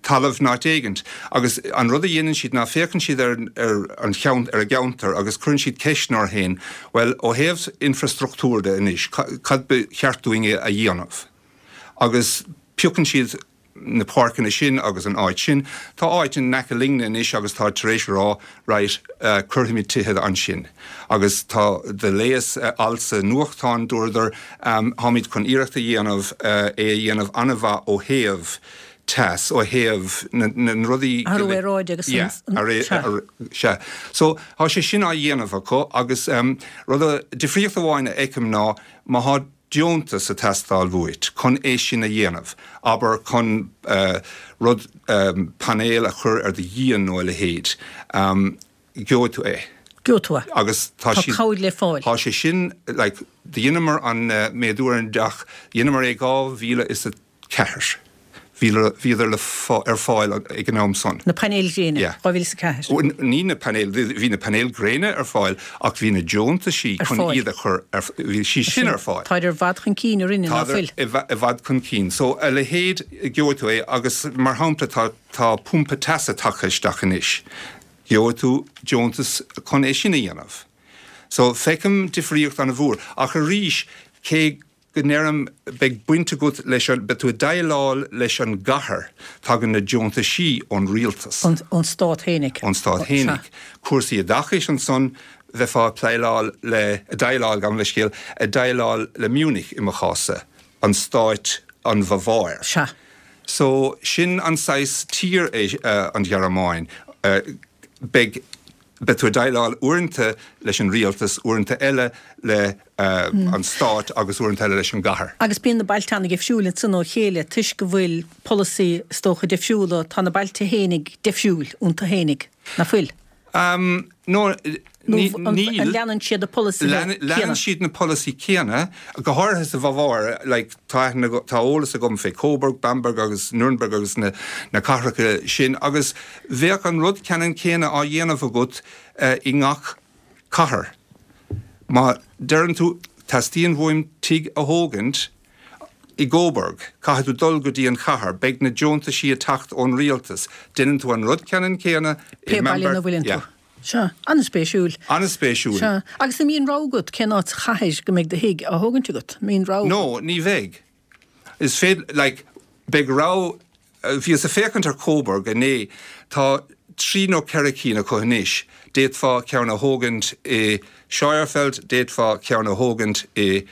[SPEAKER 3] talamh in áit éigint. Agus an rud a dhéanann siad ná féachann siad ar ar an cheann ar a gceantar agus cuireann siad ceisteanna orthu féin, bhuel, ó thaobh infreastruchtúir de anois, cad ba cheart dúinn a dhéanamh? Agus piocann siad na páirceanna sin agus an áit sin. Tá áit in aice linne anois agus táid tar éis a rá, right, cuirfimid tithe ansin. Agus tá, do léas alt sa nuachtán, dúradar, táimid chun iarracht a dhéanamh é a dhéanamh an-mhaith ó thaobh teas, ó thaobh na
[SPEAKER 1] n-rudaí. Athrú aeráide agus
[SPEAKER 3] an. Sea. So, tá sé sin á dhéanamh acu agus rud, difríocht amháin a fheicim ná má thá deontas ag teastáil uait chun é sin a dhéanamh, abair chun rud, painéal a chur ar do dhíon nó a leithéid, gheobhaidh tú é.
[SPEAKER 1] Gheobhaidh tú é.
[SPEAKER 3] Agus tá
[SPEAKER 1] siad. Tá cabhair le fáil.
[SPEAKER 3] Tá sé sin, like, dheineamar an méadú ar an dteach, dheineamar é 2004. Bhíodar le, ar fáil ag an am san.
[SPEAKER 1] Na painéil ghréine, 2004.
[SPEAKER 3] Ní na painéil, bhí na painéil gréine ar fáil ach bhí na deontaisí chun iad a chur ar, bhí sí sin ar fáil.
[SPEAKER 1] Táid i bhfad chun cinn orainne, ná fuil?
[SPEAKER 3] Táid i bhfad chun cinn. So a leithéid, gheobhaidh tú é agus mar shampla tá, tá pumpa teasa tagtha isteach anois. Gheobhaidh tú deontas chun é sin a dhéanamh. So feicim difríocht an-mhór. Ach arís, cé go ndeirim, beidh baint agat leis an, beidh tú ag déileáil leis an gcathair, tagann na deontaisí ón rialtas.
[SPEAKER 1] Ón stát fhéinig.
[SPEAKER 3] Ón stát fhéinig. Cúrsaí oideachais ansan, bheifeá ag pléileáil le, ag déileáil, gabh mo leithscéal, ag déileáil le Munich i mo chás-sa, an stáit, an Bhaváir.
[SPEAKER 1] Sea.
[SPEAKER 3] So, sin an saghas tír é an Ghearmáin. Beidh. Beidh tú ag déileáil uaireanta leis an rialtas, uaireanta eile le an stát agus uaireanta eile leis an gcathair.
[SPEAKER 1] Agus bíonn na bailte an-difriúil ansan ó chéile toisc go bhfuil polasaí is dócha difriúla, tá na bailte fhéinig difriúil iontu fhéinig, ná fuil?
[SPEAKER 3] No,
[SPEAKER 1] níl. Nó an leanann siad na polasaithe
[SPEAKER 3] céanna? Leanann siad na polasaí céanna, go háirithe sa Bhaváir, like tá aithne, tá eolas agam fé Coburg, Bamberg agus Nürnberg agus na cathracha sin agus Bheadh an rud ceannann céanna á dhéanamh agat i ngach cathair. Má deireann tú, teastaíonn uaim tigh a thógaint i gCoburg, caithfidh tú dul go dtí an chathair, beidh na deontaisí ag teacht ón rialtas. Déanann tú an rud ceannann céanna
[SPEAKER 1] i Pé baile ina bhfuileann tú. Yeah. Sea. An-spéisiúil.
[SPEAKER 3] An-spéisiúil.
[SPEAKER 1] Sea. Agus an mbíonn rogha agat cén áit sa chathair go mbeidh do thigh á thógaint agat? An mbíonn rogha
[SPEAKER 3] agat? No, ní bheidh. Is féidir, like, beidh rogha Bhíos ag féachaint ar Coburg inné, tá trí nó ceithre cinn acu anois. D'fhéadfá ceann a thógaint i Scheuerfeld, d'fhéadfá ceann a thógaint i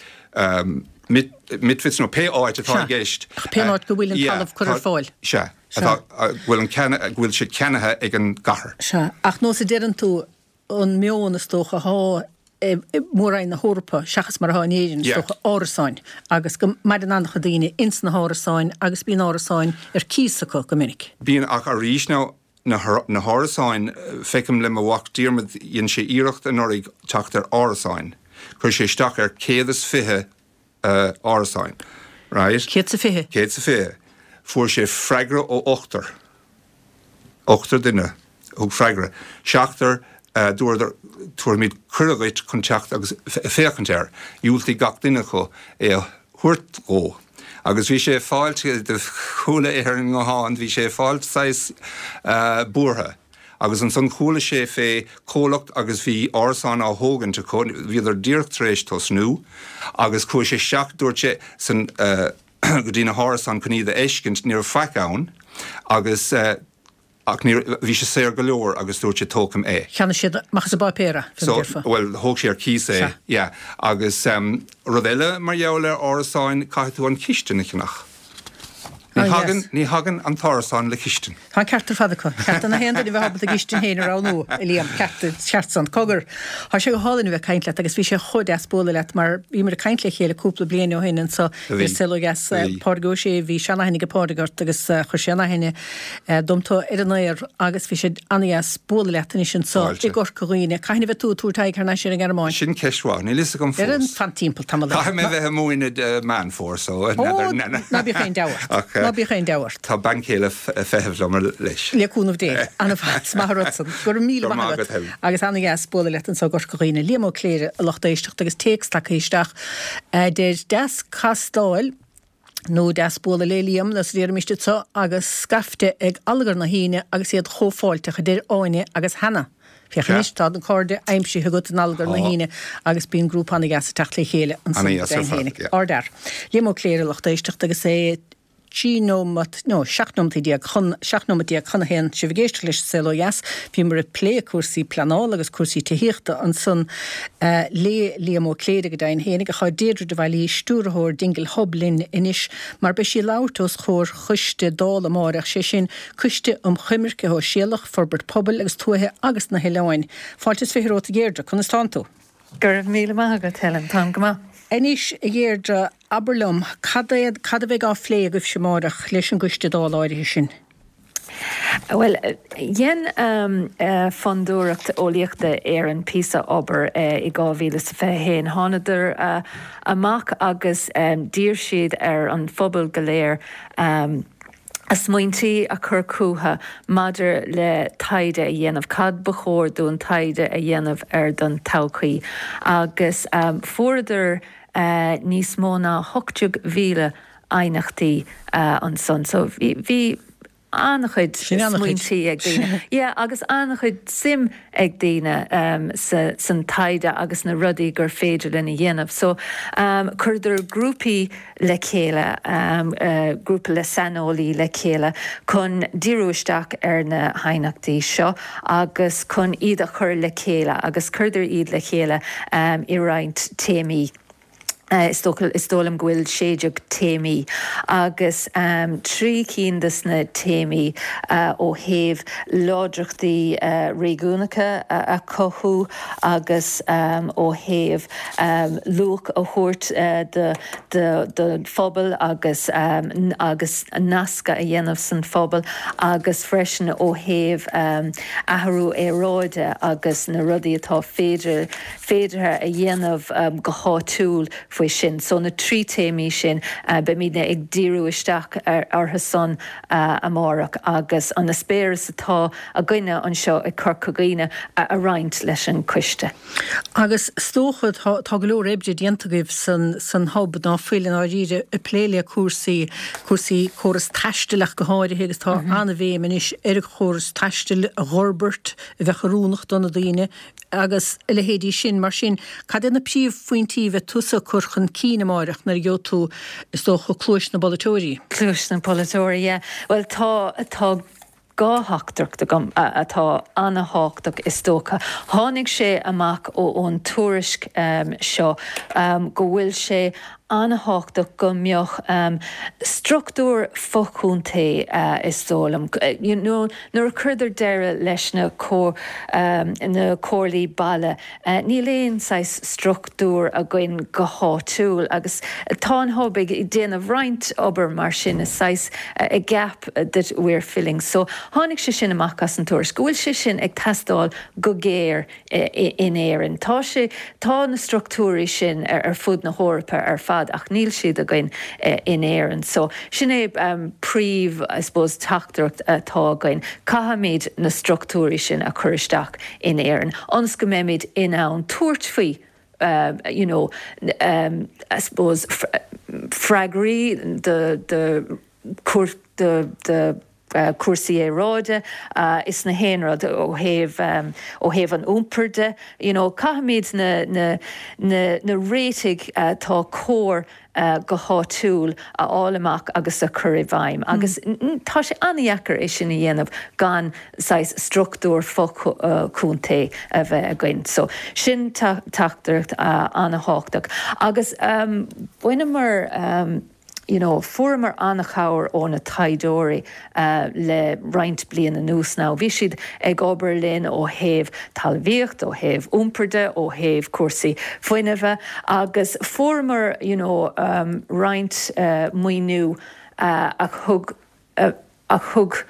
[SPEAKER 3] Mitwitz nó pé áit atá i gceist.
[SPEAKER 1] Sea, pé áit go bhfuil an talamh curtha ar fáil.
[SPEAKER 3] Sea, atá, go bhfuil sé ceannaithe ag an gcathair.
[SPEAKER 1] Sea, ach nós a deireann tú, an meon is dócha athá i Mór-Roinn na hEorpa seachas mar athá in Éirinn, is dócha, árasáin agus go maireann an-chuid daoine ins na hárasáin agus bíonn árasáin ar cíos acu go minic.
[SPEAKER 3] Bíonn, ach arís now, na hárasáin, feicim le mo mhac Diarmuid, dhein sé iarracht anuraidh teacht ar árasáin, chuir sé isteach ar 120 árasáin, right?
[SPEAKER 1] 120?
[SPEAKER 3] 120. Fuair sé freagra ó ochtar. Ochtar duine thug freagra. Seachtar, dúradar, tabharfaimid cuireadh dhuit chun teacht agus féachaint air. Dhiúltaigh gach duine acu é a thabhairt dhó. Agus bhí sé ag fáilt, chuala é ar an nguthán, bhí sé ag fáilt saghas buartha. Agus ansan chuala sé fé chomhlacht agus bhí árasán á thógaint acu, bhíodar díreach tar éis tosnú, agus chuaigh sé isteach, dúirt sé, san, go dtí na hárasáin chun iad a fheiscint, ní raibh faic ann, agus. Ach ní, bhí sé saor go leor agus dúirt sé tógfaidh mé é.
[SPEAKER 1] Cheannaigh siad amach as an bpáipéar é, fé
[SPEAKER 3] mar a déarfá. So, bhuel, thóg sé ar cíos é, yeah. Agus rud eile mar gheall ar árasáin, caithfidh tú an chistin a cheannach. Ní thagann, ní thagann an t-árasán le cistin.
[SPEAKER 1] Tá an ceart ar fad acu. Ceart do na haon duine a bheith ábalta a gcistin féin a roghnú, a Liam. Ceart, ceart san. Cogar, tá sé go hálainn a bheith ag caint leat agus bhí sé chomh deas bualadh leat mar bhíomar ag caint le chéile cúpla bliain ó shin anso ar An Saol Ó Dheas. Pádraig Ó Sé, bhí seanaithne ag Pádraig ort agus chuir sé in aithne dom tú ar an aer agus bhí sé an-dheas bualadh leat anois anso i gCorca Dhuibhne. Cathain a bheidh tú ag tabhairt aghaidh thar n-ais ar an nGearmáin?
[SPEAKER 3] Sin ceist mhaith. Níl fhios agam
[SPEAKER 1] fós. Ar an fan timpeall tamall
[SPEAKER 3] eile. Caithfidh mé bheith ag múineadh i Meán Fómhair so
[SPEAKER 1] n'fheadar. Ó, ná bíodh aon deabhadh ort. Ná bíodh aon deabhadh ort.
[SPEAKER 3] Tá bean chéile ag feitheamh liom leis.
[SPEAKER 1] Le cúnamh Dé. An-mhaith. Is maith an rud san. Go raibh míle maith agat. Agus an-dheas bualadh leat anso i gCorca Dhuibhne. Liam Ó Cléire, a lucht éisteachta agus téacs tagtha isteach a deir, Deas castáil. Nó deas bualadh le Liam, nó a déarfaimis anso, agus scaifte ag allagar na hAoine agus iad chomh fáilteach, a deir Áine agus Hannah. Féach anois, tá na cairde aimsithe agat in allagar na hAoine agus bíonn grúpa an-dheas ag teacht le chéile ansan go deimhin féinig. Ardfhear. Liam Ó Cléire, lucht éisteachta, agus é 13 nóimeat, nó 17 nóimeataí chun, 17 nóimeat chun a haon, sibh ag éisteacht leis an Saol Ó Dheas. Bhíomar ag plé cúrsaí pleanála agus cúrsaí tithíochta ansan le Liam Ó Cléire go deimhin fhéinig ach tá Deirdre de Bhailís, Stiúrthóir Dingle Hub linn anois mar beidh sí ag labhairt os comhair choiste Dála amáireach, sé sin Coiste um Choimirce Shóisialach, Forbairt Pobail agus Tuaithe agus na hOileáin. Fáilte is 20 romhat a Dheirdre, conas tánn tú?
[SPEAKER 4] Go raibh míle maith agat Helen, táim go maith.
[SPEAKER 1] Anois a Dheirdre, abair liom, cad é, cad a bheidh á phlé agaibhse amáireach leis an gcoiste Dála áirithe sin?
[SPEAKER 4] Bhuel, dhein Fondúireacht Eolaíochta Éireann píosa obair i 2021. Thánadar amach agus d'iarr siad ar an phobal go léir a smaointí a chur chucu maidir le taighde a dhéanamh, cad ba chóir dúinn taighde a dhéanamh ar don todhchaí. Agus fuaireadar níos mó ná 18,000 aighneachtaí ansan. So bhí an-chuid smaointí ag daoine. Yeah, agus an-chuid suim ag daoine sa san taighde agus na rudaí gur féidir linn a dhéanamh. So chuireadar grúpaí le chéile, grúpa le saineolaí le chéile chun díriú isteach ar na haighneachtaí seo agus chun iad a chur le chéile agus chuireadar iad le chéile i roinnt téamaí. Is dócha, is dóigh liom go bhfuil 16 téamaí agus 3 cinn de sna téamaí ó thaobh láidreachtaí réigiúnacha a chothú agus ó thaobh luach a thabhairt don phobal agus agus nascadh a dhéanamh san phobal agus freisin ó thaobh athrú aeráide agus na rudaí atá féidir féideartha a dhéanamh go háitiúil faoi sin. So na trí téamaí sin, beimidne ag díriú isteach orthu san amárach agus an eispéireas atá againne anseo i Corca Dhuibhne a roinnt leis an choiste.
[SPEAKER 1] Agus is dócha, tá go leor oibre déanta agaibh san san Hub ná fuil i ndáiríre ag plé le cúrsaí, cúrsaí córas taistil ach go háirithe agus tá an-bhéim anois ar an chóras taistil a dh'fhorbairt a bheadh oiriúnach do na daoine. agus a leithéidí sin. Mar sin, cad é na príomhphointí a bheidh tusa ag cur chun cinn amáireach nuair a gheobhaidh tú, is dócha, cluais na bpolaiteoirí?
[SPEAKER 4] Cluais na bpolaiteoirí, yeah. Bhuel, tá, tá dhá theachtaireacht agam atá ana-thábhachtach is dócha. Tháinig sé amach ón tuairisc seo go bhfuil sé ana-thábhachtach go mbeadh struchtúr fo-chontae is dóigh liom. You know, Nuair a chuireadar deireadh leis na na comhairlí baile, níl aon saghas struchtúr againn go háitiúil agus tá an Hub ag déanamh roinnt obair mar sin, is saghas a gap that we're filling. So tháinig sé sin amach as an tuairisc, go bhfuil sé sin ag teastáil go géar in Éirinn. Tá sé, tá na struchtúirí sin ar fud na hEorpa ar fad ach níl siad againn in Éirinn. So sin é príomh, I suppose, teachtaireacht atá againn. Caithfimid na struchtúirí sin a chur isteach in Éirinn ionas go mbeimid in ann tabhairt faoi you know, I suppose, freagraí do, do, do, do. cúrsaí aeráide is na haon rud ó thaobh ó thaobh an iompair de you know caithfimid na na na na réitigh atá cóir go háitiúil a fháil amach agus a chur i bhfeidhm agus tá sé an-dheacair é sin a dhéanamh gan saghas struchtúr fo-chontae a bheith againn. So sin teachtaireacht an-thábhachtach agus bhaineamar you know fuaireamar an-chabhair ó na taighdeoirí le roinnt bliain anuas now. Bhí siad ag obair linn ó thaobh talmhaíocht, ó thaobh iompair de, ó thaobh cúrsaí fuinnimhe agus fuaireamar you know roinnt maoiniú a thug a thug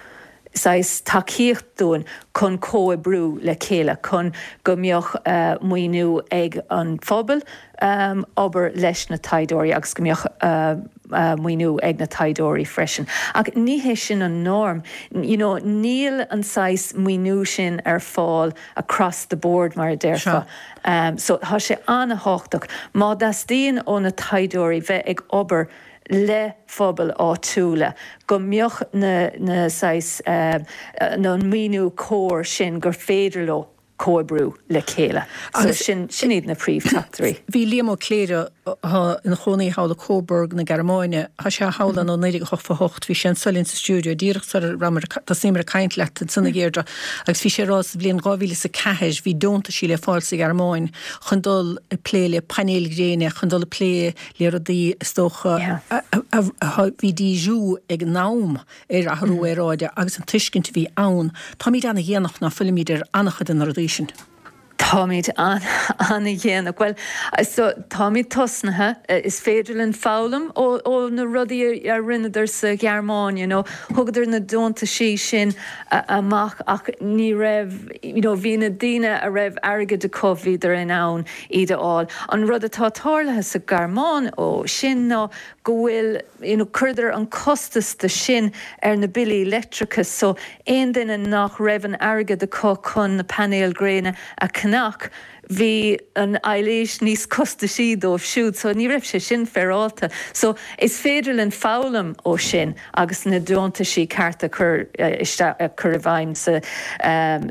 [SPEAKER 4] saghas tacaíocht dúinn chun comhoibriú le chéile chun go mbeadh maoiniú ag an phobal obair leis na taighdeoirí agus go mbeadh maoiniú ag na taighdeoirí freisin. Ach ní hé sin an norm. You know, níl an saghas maoiniú sin ar fáil across the board mar a déarfá. So tá sé an-thábhachtach má theastaíonn ó na taighdeoirí bheith ag obair le phobail áitiúla, go mbeadh na na saghas an maoiniú cóir sin gur féidir leo comhoibriú le chéile. So sin sin iad na príomhtheachtairí.
[SPEAKER 1] Bhí Liam Ó Cléire, atá ina chónaí thall i Coburg na Gearmáine, tá sé thall ann ó 1988, bhí sé anso linn sa stiúideo díreach sara rabhamar ag tosaíomar ag caint leat ansan a Dheirdre agus bhí sé ag rá sa bhliain 2004 bhí deontaisí le fáil sa Ghearmáin chun dul ag plé le painéil ghréine, chun dul ag plé le rudaí is dócha a bhí díriú ag an am ar athrú aeráide agus an tuiscint a bhí ann. Táimid ana-dhéanach ná fuilimid ar an-chuid de na rudaí sin.
[SPEAKER 4] Táimid an-dhéanach. Bhuel, so táimid tosnaithe. Is féidir linn foghlaim ó na rudaí a rinneadar sa Ghearmáin, you know. Thugadar na deontaisí sin amach ach ní raibh, you know, bhí na daoine a raibh airgead acu, bhíodar in ann iad a fháil. An rud atá tarlaithe sa Ghearmáin ó sin ná go bhfuil, you know, chuireadar an costas de sin ar na billí leictreachais so aon duine nach raibh an airgead acu chun na painéil gréine a cheannach, bhí an ailís níos costaisí dóibh siúd so ní raibh sé sin féaráilte. So is féidir linn foghlaim ó sin agus na deontaisí cearta a chur isteach, a chur i bhfeidhm sa,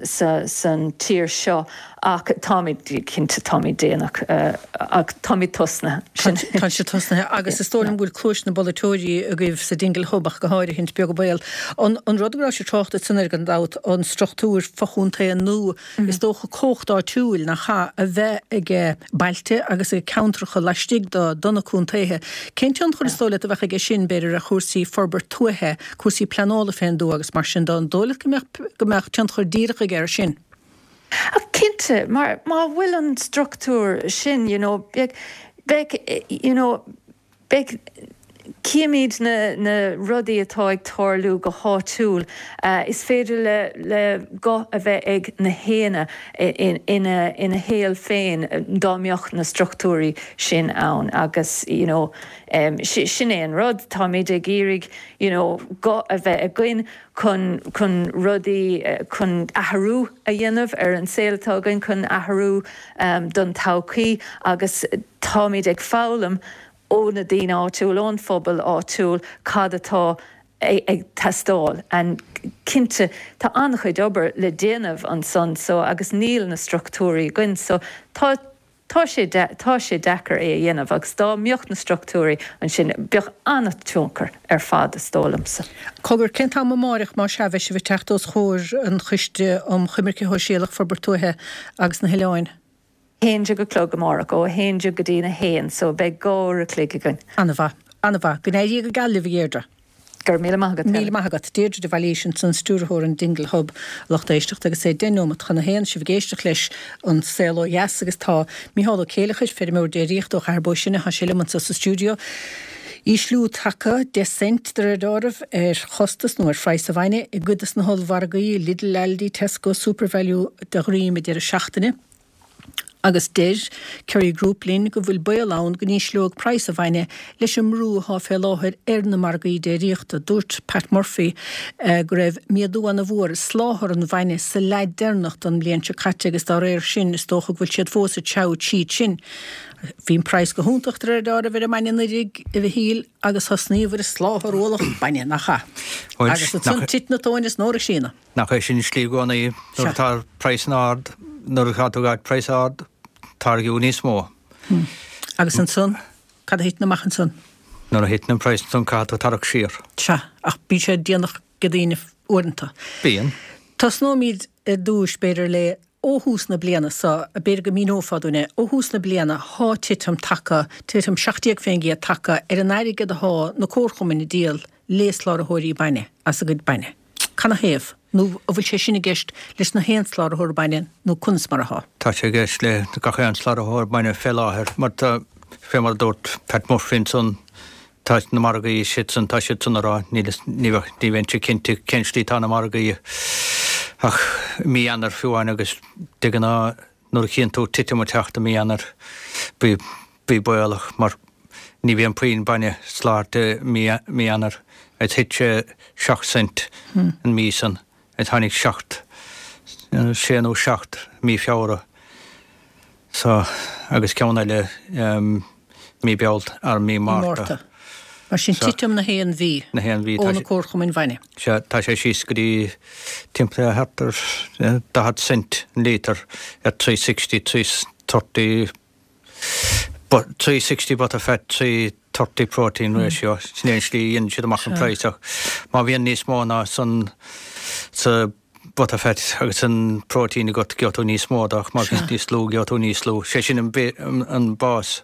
[SPEAKER 4] sa, san tír seo. Ach táimid, cinnte, táimid déanach, ach táimid tosnaithe.
[SPEAKER 1] Sin. Tá sibh tosnaithe agus is dóigh liom go bhfuil cluais na bpolaiteoirí agaibh sa Dingle Hub ach go háirithe, beag an baol. An an rud go raibh sibh ag trácht ansan air gan dabht, an struchtúr fochontae nua, is dócha cumhacht áitiúil nach ea a bheith ag bailte agus ag ceantracha laistigh do do na contaetha. Cén tionchar is dóigh leat a bheadh aige sin, b'fhéidir, ar chúrsaí forbairt tuaithe, cúrsaí pleanála fén dtuath agus mar sin de, an dóigh leat go mbeadh go mbeadh tionchar díreach aige air sin?
[SPEAKER 4] Ach cinnte, mar má bhfuil an struchtúr sin, you know, beidh, beidh, you know, beidh, címid na, na rudaí atá ag tarlú go háitiúil. Is féidir le, le guth a bheith ag na héinne ina, ina shaol féin dá mbeadh na struchtúirí sin ann agus, you know, sin é an rud, táimid ag iarraidh, you know, guth a bheith againn chun chun rudaí, chun athrú a dhéanamh ar an saol atá againn, chun athrú don todhchaí agus táimid ag foghlaim ó na daoine áitiúil, ón phobal áitiúil cad atá ag teastáil and cinnte tá an-chuid obair le déanamh ansan so agus níl na struchtúirí againn so tá Tá sé, tá sé deacair é a dhéanamh agus dá mbeadh na struchtúirí ansin, bheadh an-tionchar ar fad, is dóigh liomsa.
[SPEAKER 1] Cogar, cén t-am amáireach, más ea, a bheidh sibh ag teacht os comhair an Choiste um Choimirce Shóisialach, Forbairt Tuaithe agus na hOileáin?
[SPEAKER 4] 11 a chlog amárach, ó 11 go dtí a haon, so beidh 2 uair a chloig againn.
[SPEAKER 1] An-mhaith. An-mhaith. Go n-éirí go geal libh, a Dheirdre.
[SPEAKER 4] Go raibh míle maith agat,
[SPEAKER 1] Helen. Míle maith agat. Deirdre de Bhailís ansan, Stiúrthóir an Dingle Hub, lucht éisteachta, agus é deich nóimeat chun a haon, sibh ag éisteacht leis An Saol Ó Dheas agus tá Micheál Ó Céileachair, feirmeoir déiríochta ó Chathair Bó Sine, tá sé liom anso sa stiúideo. Ísliú tagtha, 10 cent de réir dealraimh, ar chostas nó ar phraghas an bhainne i gcuid des na hollmhargaí, Lidl, Aldi, Tesco, Supervalu, de dhroim an deireadh seachtaine. Agus deir Kerry Group linn go bhfuil baol ann go n-ísleoidh praghas an bhainne leis an mbrú athá fé láthair ar na margaí déiríochta. Dúirt Pat Murphy go raibh méadú ana mhór i soláthar an bhainne sa leath deireanach den mbliain seo caite agus dá réir sin is dócha go bhfuil siad fós ag treabhadh tríd sin. Bhí an praghas go hiontach de réir deáraimh ar an mbainne anuiridh, a Mhichíl, agus thosnaíobhair ag soláthar ualach bainne, nach ea? Agus ansan tit na tóin as an órga síona.
[SPEAKER 3] Nach é sin an slí i gcónaí, nuair atá praghas ard, nuair atá tú ag praghas ard, táirgeadh níos mó.
[SPEAKER 1] Agus ansan, cad a thiteann amach ansan?
[SPEAKER 3] Nuair a thiteann an praghas ansan, caithfidh tú tarrac siar.
[SPEAKER 1] Sea, ach bíonn sé déanach ag daoine uaireanta.
[SPEAKER 3] Bíonn.
[SPEAKER 1] Tosnóimid ar dtúis, b'fhéidir, le ó thús na bliana so, b'fhéidir go míneofá dúinn é, ó thús na bliana, thá titim tagtha, titim 17% tagtha ar an airgead athá na comharchumainn ag díol le sláraitheoirí bainne as a gcuid bainne. Canathaobh? Nó an bhfuil sé sin i gceist leis na haon sláraitheoir bainne nó conas mar athá?
[SPEAKER 3] Tá sé i gceist le gach aon sláraitheoir bainne fé láthair mar tá, fé mar a dúirt Pat Murphy ansan, tá na margaí siadsan, tá siadsan ag rá, níl, ní bheadh, ní bheinnse cinnte cén slí atá na margaí ach i mí Eanáir fiú amháin agus de ghnáth nuair a chíonn tú titim ag teacht i mí Eanáir bí, bí baolach mar ní bhíonn puinn bainne soláthairte i mí Eanáir agus thit sé 7 cent an mí san agus tháinig 7, 6 nó 7 mí Feabhra so agus ceann eile mí Bealt ar mí Márta.
[SPEAKER 1] Mar sin titim na haon mhí
[SPEAKER 3] na haon mhí
[SPEAKER 1] ó na comharchumainn bhainne.
[SPEAKER 3] Sea, tá sé síos go dtí timpeall thart ar 40 cent an lítear ar 360, 330 360 butterfat, 330 protein ratio, sin é an slí a dhéanann siad amach an praghas ach má bhíonn níos mó ná san sa butterfat agus an protein agat gheobhaidh tú níos mó de ach má bhíonn níos lú gheobhaidh tú níos lú. Sé sin an bás,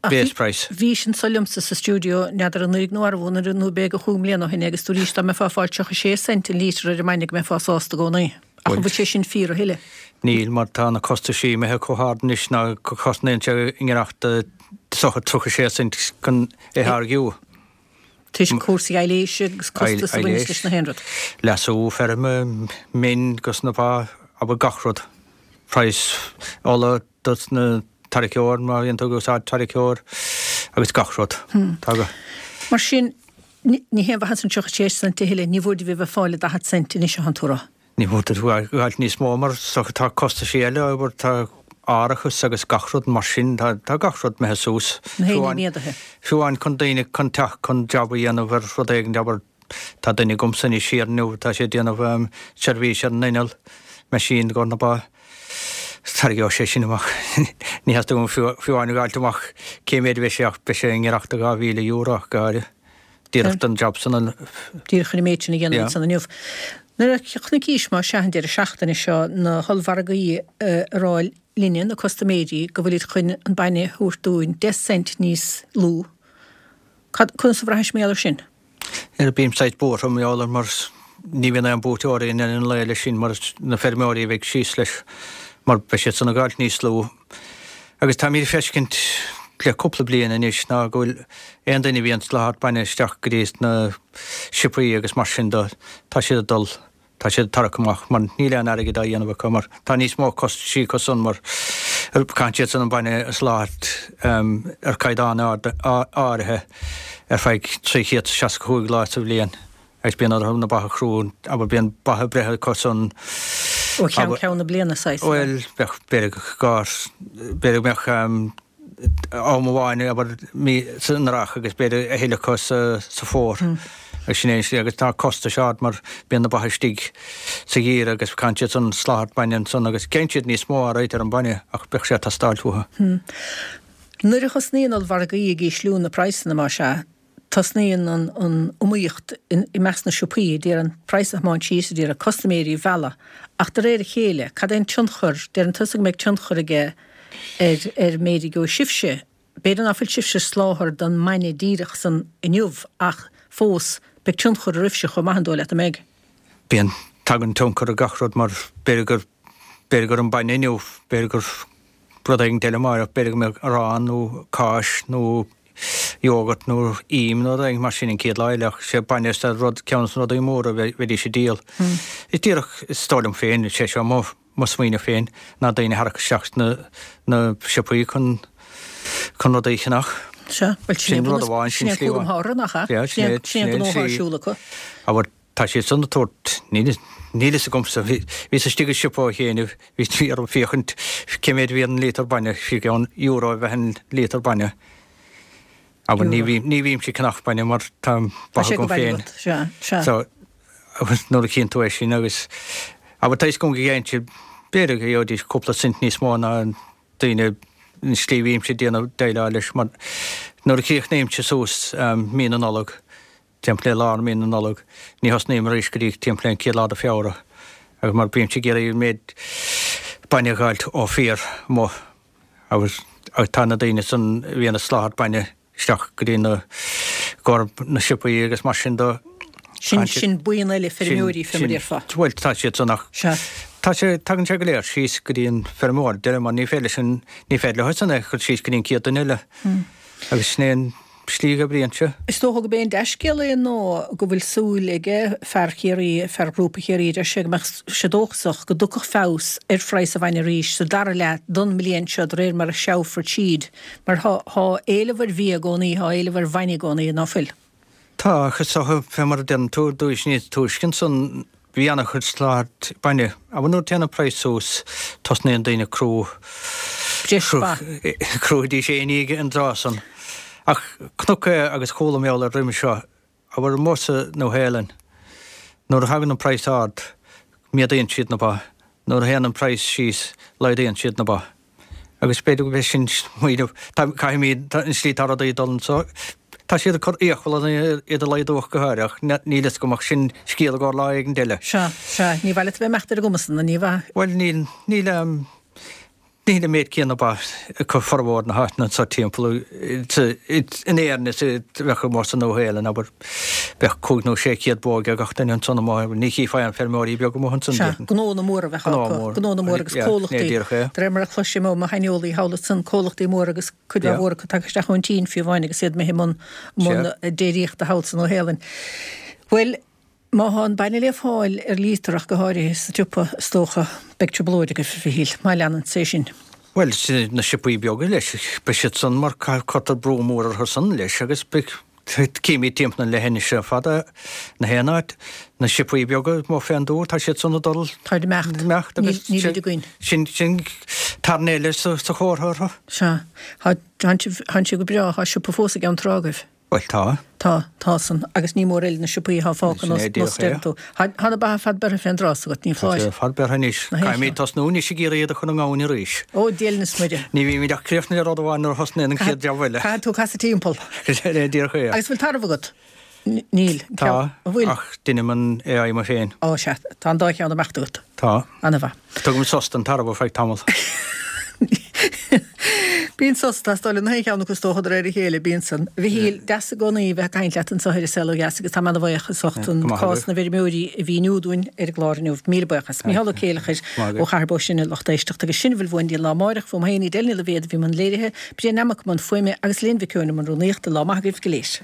[SPEAKER 3] base price.
[SPEAKER 1] Bhís anso liomsa sa stiúideo, n'fheadar anuraidh nó arbh anuraidh nó b'fhéidir chúig mbliana ó shin é agus dúraís dá mbeifeá ag fáil 36 cent an lítear ar an mbainne go mbeifeá sásta i gcónaí. Ach an bhfuil sé sin fíor a thuilleadh?
[SPEAKER 3] Níl, mar tá na costaisí imithe chomh hard anois ná go cosnaíonn sé i ngiorracht do 36 cent chun é a tháirgiú.
[SPEAKER 1] Toisc cúrsaí aibhléise agus costas a bhaineas leis na haon rud.
[SPEAKER 3] Leasú feirme, min dos na ba, abair gach rud. Praghas ola dos na tarraiceoir má bhíonn tú ag úsáid tarraiceoir agus gach rud.
[SPEAKER 1] Tá go. Mar sin, Ní haon mhaitheas an 36 cent a thuilleadh, ní mhór daoibh a bheith ag fáil 40 cent anois atánn tú a rá.
[SPEAKER 3] Ní mhór duit a fháil níos mó mar tá costaisí eile, abair, tá árachas agus gach rud mar sin, tá gach rud imithe suas.
[SPEAKER 1] Na haon ní méadaithe.
[SPEAKER 3] Fiú amháin chun daoine chun teacht chun jab a dhéanamh ar rud éigin, abair, tá duine agamsa anois thiar inniu, tá sé ag déanamh seirbhís ar an inneall, machine i gcomhair na ba. Tarraingeoidh sé sin amach. Ní theastaíonn uaim fiú amháin a dh'fháilt amach cé méid a bheidh sé ach beidh sé i ngiorracht do €2,000 ach go háirithe. Díreach don jab san
[SPEAKER 1] a. Díreach chun an méid sin a dhéanamh ansan inniu. Nuair a chonaicis má sea an deireadh seachtaine seo na hollmhargaí ag rá linne, na custaiméirí, go bhfuilid chun an bainne a thabhairt dúinn 10 cent níos lú, cad, conas a bhraithis mar gheall air sin?
[SPEAKER 3] Bím saghas buartha mar gheall air mar ní bhíonn aon buaiteoirí i ndeireadh an lae leis sin mar na feirmeoirí a bheidh síos leis mar beidh siad san ag fháilt níos lú. Agus táimid ag feiscint le cúpla bliain anois ná go bhfuil aon duine a bhíonn ag soláthar bainne isteach go dtí na siopaí agus mar sin de, tá siad ag dul Tá siad ag tarrac amach mar níl aon airgead á dhéanamh acu mar tá níos mó costaisí acu san mar caitheann siad san an bainne a soláthar ar caighdeán áirithe ar feadh 365 lá sa bhliain agus bíonn orthu na ba a chrú abair bíonn ba ag breith acu san
[SPEAKER 1] Ó cheann ceann na bliana
[SPEAKER 3] saghas. Bhuel bheadh b'fhéidir go b'fhéidir go mbeadh am amháin, abair, mí san earrach agus b'fhéidir a thuilleadh acu sa fómhar. Agus sin é an slí agus tá costais ard mar bíonn na ba istigh sa gheimhreadh agus caitheann siad san soláthar bainne ansan agus gheibheann siad níos mó alright ar an bainne ach bheadh sé ag teastáilt uathu.
[SPEAKER 1] Nuair a thosnaíonn ollmhargaí ag ísliú na praghsanna, más ea, Tosnaíonn an iomaíocht i measc na siopaí a d'iarraidh an praghas a thiomáint síos, a d'iarraidh custaiméirí a mhealladh. Ach de réir a chéile, cad é an tionchar, deireann tusa go mbeidh tionchar aige ar ar méid a gheobhaidh sibhse. B'fhéidir ná fuil sibhse ag soláthar don mbainne díreach san inniu ach fós beidh tionchar oraibhse chomh maith, an dóigh leat an mbeidh?
[SPEAKER 3] Bíonn, tagann tionchar ar gach rud mar b'fhéidir gur, b'fhéidir gur an bainne inniu, b'fhéidir gur rud éigin eile amárach, b'fhéidir go mbeadh arán nó cáis nó iógart nó im nó rud éigin mar sin an chéad lá eile ach sé bainne is rud, ceann de na rudaí móra a bheidís ag díol. Is díreach, is dóigh liom féin, sé seo mo.
[SPEAKER 5] mo smaoineamh féin ná daoine a tharrac isteach sna na siopaí chun chun rudaí a cheannach.
[SPEAKER 1] Sea, bhuel sin rud amháin, sin slí amháin. Sin nach ea?
[SPEAKER 5] Yeah, sin é, sin é an slí.
[SPEAKER 1] Siúl acu.
[SPEAKER 5] Abair, tá siad san ag tabhairt, níl níl fhios agamsa, bhíos istigh i siopa ó chianaibh, bhí bhí orm féachaint cé mhéad a bhí an líotar bainne, bhí ceann euro a bheith an líotar bainne. Abair, ní bhím ní bhímse ag ceannach bainne mar tá
[SPEAKER 1] ba agam féin. Sea, sea.
[SPEAKER 5] So, agus nuair a chíonn tú é sin agus abair tá fhios agam go gheibheann siad b'fhéidir go gheobhaidís cúpla cent níos mó ná daoine an slí a bhímse ag déanamh déileáil leis mar nuair a chríochnaímse suas mí na Nollag, timpeall le lár mí na Nollag, ní thosnaím arís go dtí timpeall le an chéad lá de Feabhra agus mar bímse ag iarraidh an méid bainne a dh'fháilt ó fir amuigh agus tá na daoine san a bhíonn ag soláthar bainne isteach go dtí na gcomhair na siopaí agus mar sin de.
[SPEAKER 1] Sin, sin buíon eile feirmeoirí fé mar a déarfá.
[SPEAKER 5] Bhuel, tá siad san ach
[SPEAKER 1] Sea.
[SPEAKER 5] tá sé, tagann sé go léir síos go dtí an feirmeoir deireadh mar ní féidir leis an, ní féidir leo san é a chur síos go dtí an chéad duine eile. Agus sin é an slí go oibríonn sé.
[SPEAKER 1] Is dócha gurb é an dea-scéal é ná go bhfuil súil aige fear Chiarraí, fear Ghrúpa Chiarraí, deir sé go mbeadh sé dóchasach go dtiocfadh feabhas ar phraghas an bhainne arís sa dara leath don mbliain seo de réir mar a sreabhfar tríd. Mar thá, thá éileamh ar bhia i gcónaí, thá éileamh ar bhainne i gcónaí, ná fuil?
[SPEAKER 5] Tá, ach is dócha, fé mar a deireann tú, dúis níos túisce ansan, bhí ana-chuid soláthair bainne. Abair nuair a téann an praghas suas, tosnaíonn daoine ag crú,
[SPEAKER 1] Breis ba.
[SPEAKER 5] crúfaidís éinne an tráth san. Ach chonac é agus chuala mé eolas roimhe seo, abair amuigh sa Nua-Shéalainn, nuair a thagann an praghas ard, méadaíonn siad na ba, nuair a théann an praghas síos, laghdaíonn siad na ba. Agus b'fhéidir go b'é sin smaoineamh, caithfimid, an slí atá rudaí ag dul anso, tá siad ag cur iachall orainn iad a laghdú ach go háirithe, ach níl fhios agam ach sin scéal i gcomhair lá éigin eile.
[SPEAKER 1] Sea, sea, ní mhaith leat a bheith ag imeacht ar a gcuma san, ní mhaith.
[SPEAKER 5] Bhuel, níl, níl, níl an méid céanna ba acu formhór na háiteanna anso timpeall, in Éirinn is a bheadh amuigh sa Nua-Shéalainn, abair. Bheadh 500 nó 600 bó ag gach duine ansan amuigh, ní chífeá aon feirmeoirí beaga amuigh ansan,
[SPEAKER 1] Sea, déarfainn. gnónna móra a bheadh
[SPEAKER 5] Gnó acu, mór.
[SPEAKER 1] gnónna móra agus
[SPEAKER 5] Yeah,
[SPEAKER 1] comhlachtaí,
[SPEAKER 5] ní díreach é.
[SPEAKER 1] de réir mar a chloisim ó mo shaineolaí thall ansan, comhlachtaí móra agus cuid
[SPEAKER 5] Yeah.
[SPEAKER 1] mhór acu tagtha isteach ón tSín fiú amháin agus iad imithe i mbun, mbun
[SPEAKER 5] Sea.
[SPEAKER 1] déiríochta thall sa Nua-Shéalainn. Bhuel, má thá an bainne le fáil ar líotar ach go háirithe sa tsiopa, is dócha, beidh trioblóid agaibh, a Mhichíl, má leanann sé sin.
[SPEAKER 5] Bhuel, sin na siopaí beaga leis, beidh siad san mar cuirtear brú mór orthu san leis agus beidh, Címid timpeall an leithinis ar fad na haon áit, na siopaí beaga amuigh fén dtuath, tá siad san ag dul
[SPEAKER 1] Táid ag imeacht.
[SPEAKER 5] imeacht agus
[SPEAKER 1] Níl nílid againn.
[SPEAKER 5] sin sin tairn eile sa sa chomhartha orthu.
[SPEAKER 1] Sea. Tá tánn sibh tánn sibh go breá, tá siopa fós i gCeann Trá agaibh.
[SPEAKER 5] Bhuel tá.
[SPEAKER 1] Tá, tá san, agus ní mór eile na siopaí atá fágtha
[SPEAKER 5] Sin
[SPEAKER 1] nós
[SPEAKER 5] é
[SPEAKER 1] nós
[SPEAKER 5] díreach é.
[SPEAKER 1] deireann tú. Tá tá na ba ar fad beirthe fén dtrás agat, ní
[SPEAKER 5] Tá
[SPEAKER 1] foláir.
[SPEAKER 5] siad ar fad beirthe anois.
[SPEAKER 1] Na haon
[SPEAKER 5] Caithfimid
[SPEAKER 1] cheann.
[SPEAKER 5] tosnú anois ag iarraidh iad a chur i ngamhain arís.
[SPEAKER 1] Ó, Dia linn is Muire.
[SPEAKER 5] Ní bhímid ach críochnaithe le rud amháin nuair a thosnaíonn an chéad jab eile.
[SPEAKER 1] Caithfidh tú casadh timpeall.
[SPEAKER 5] Sin é díreach é.
[SPEAKER 1] Agus bhfuil tarbh agat? Níl.
[SPEAKER 5] Tá,
[SPEAKER 1] An bhfuil?
[SPEAKER 5] ach deinim an AI mo féin.
[SPEAKER 1] Ó, sea. Tá an dá cheann ag imeacht agat.
[SPEAKER 5] Tá.
[SPEAKER 1] Ana-mhaith.
[SPEAKER 5] Tugaim sos don tarbh ar feadh tamaill.
[SPEAKER 1] Bíonn sos ag teastáil ó na haon cheann acu is dócha de réir a chéile, bíonn san. A Mhichíl, deas i gcónaí bheith ag caint leat anseo ar An Saol Ó Dheas agus táim ana-bhuíoch as ucht an cás na bhfeirmeoirí a mhíniú dúinn ar an gclár inniu. Míle buíochas. Micheál Ó Céileachair ó Chathair Bó Sine, lucht éisteachta agus sin a bhfuil uainn go dtí an lá amáireach. Fúm féin, Edel Ní Loibhéad a bhí i mbun léirithe, Brian Nammock i mbun fuaime agus Elaine Mhic Eoin i mbun rúnaíochta. Lá maith agaibh go léir.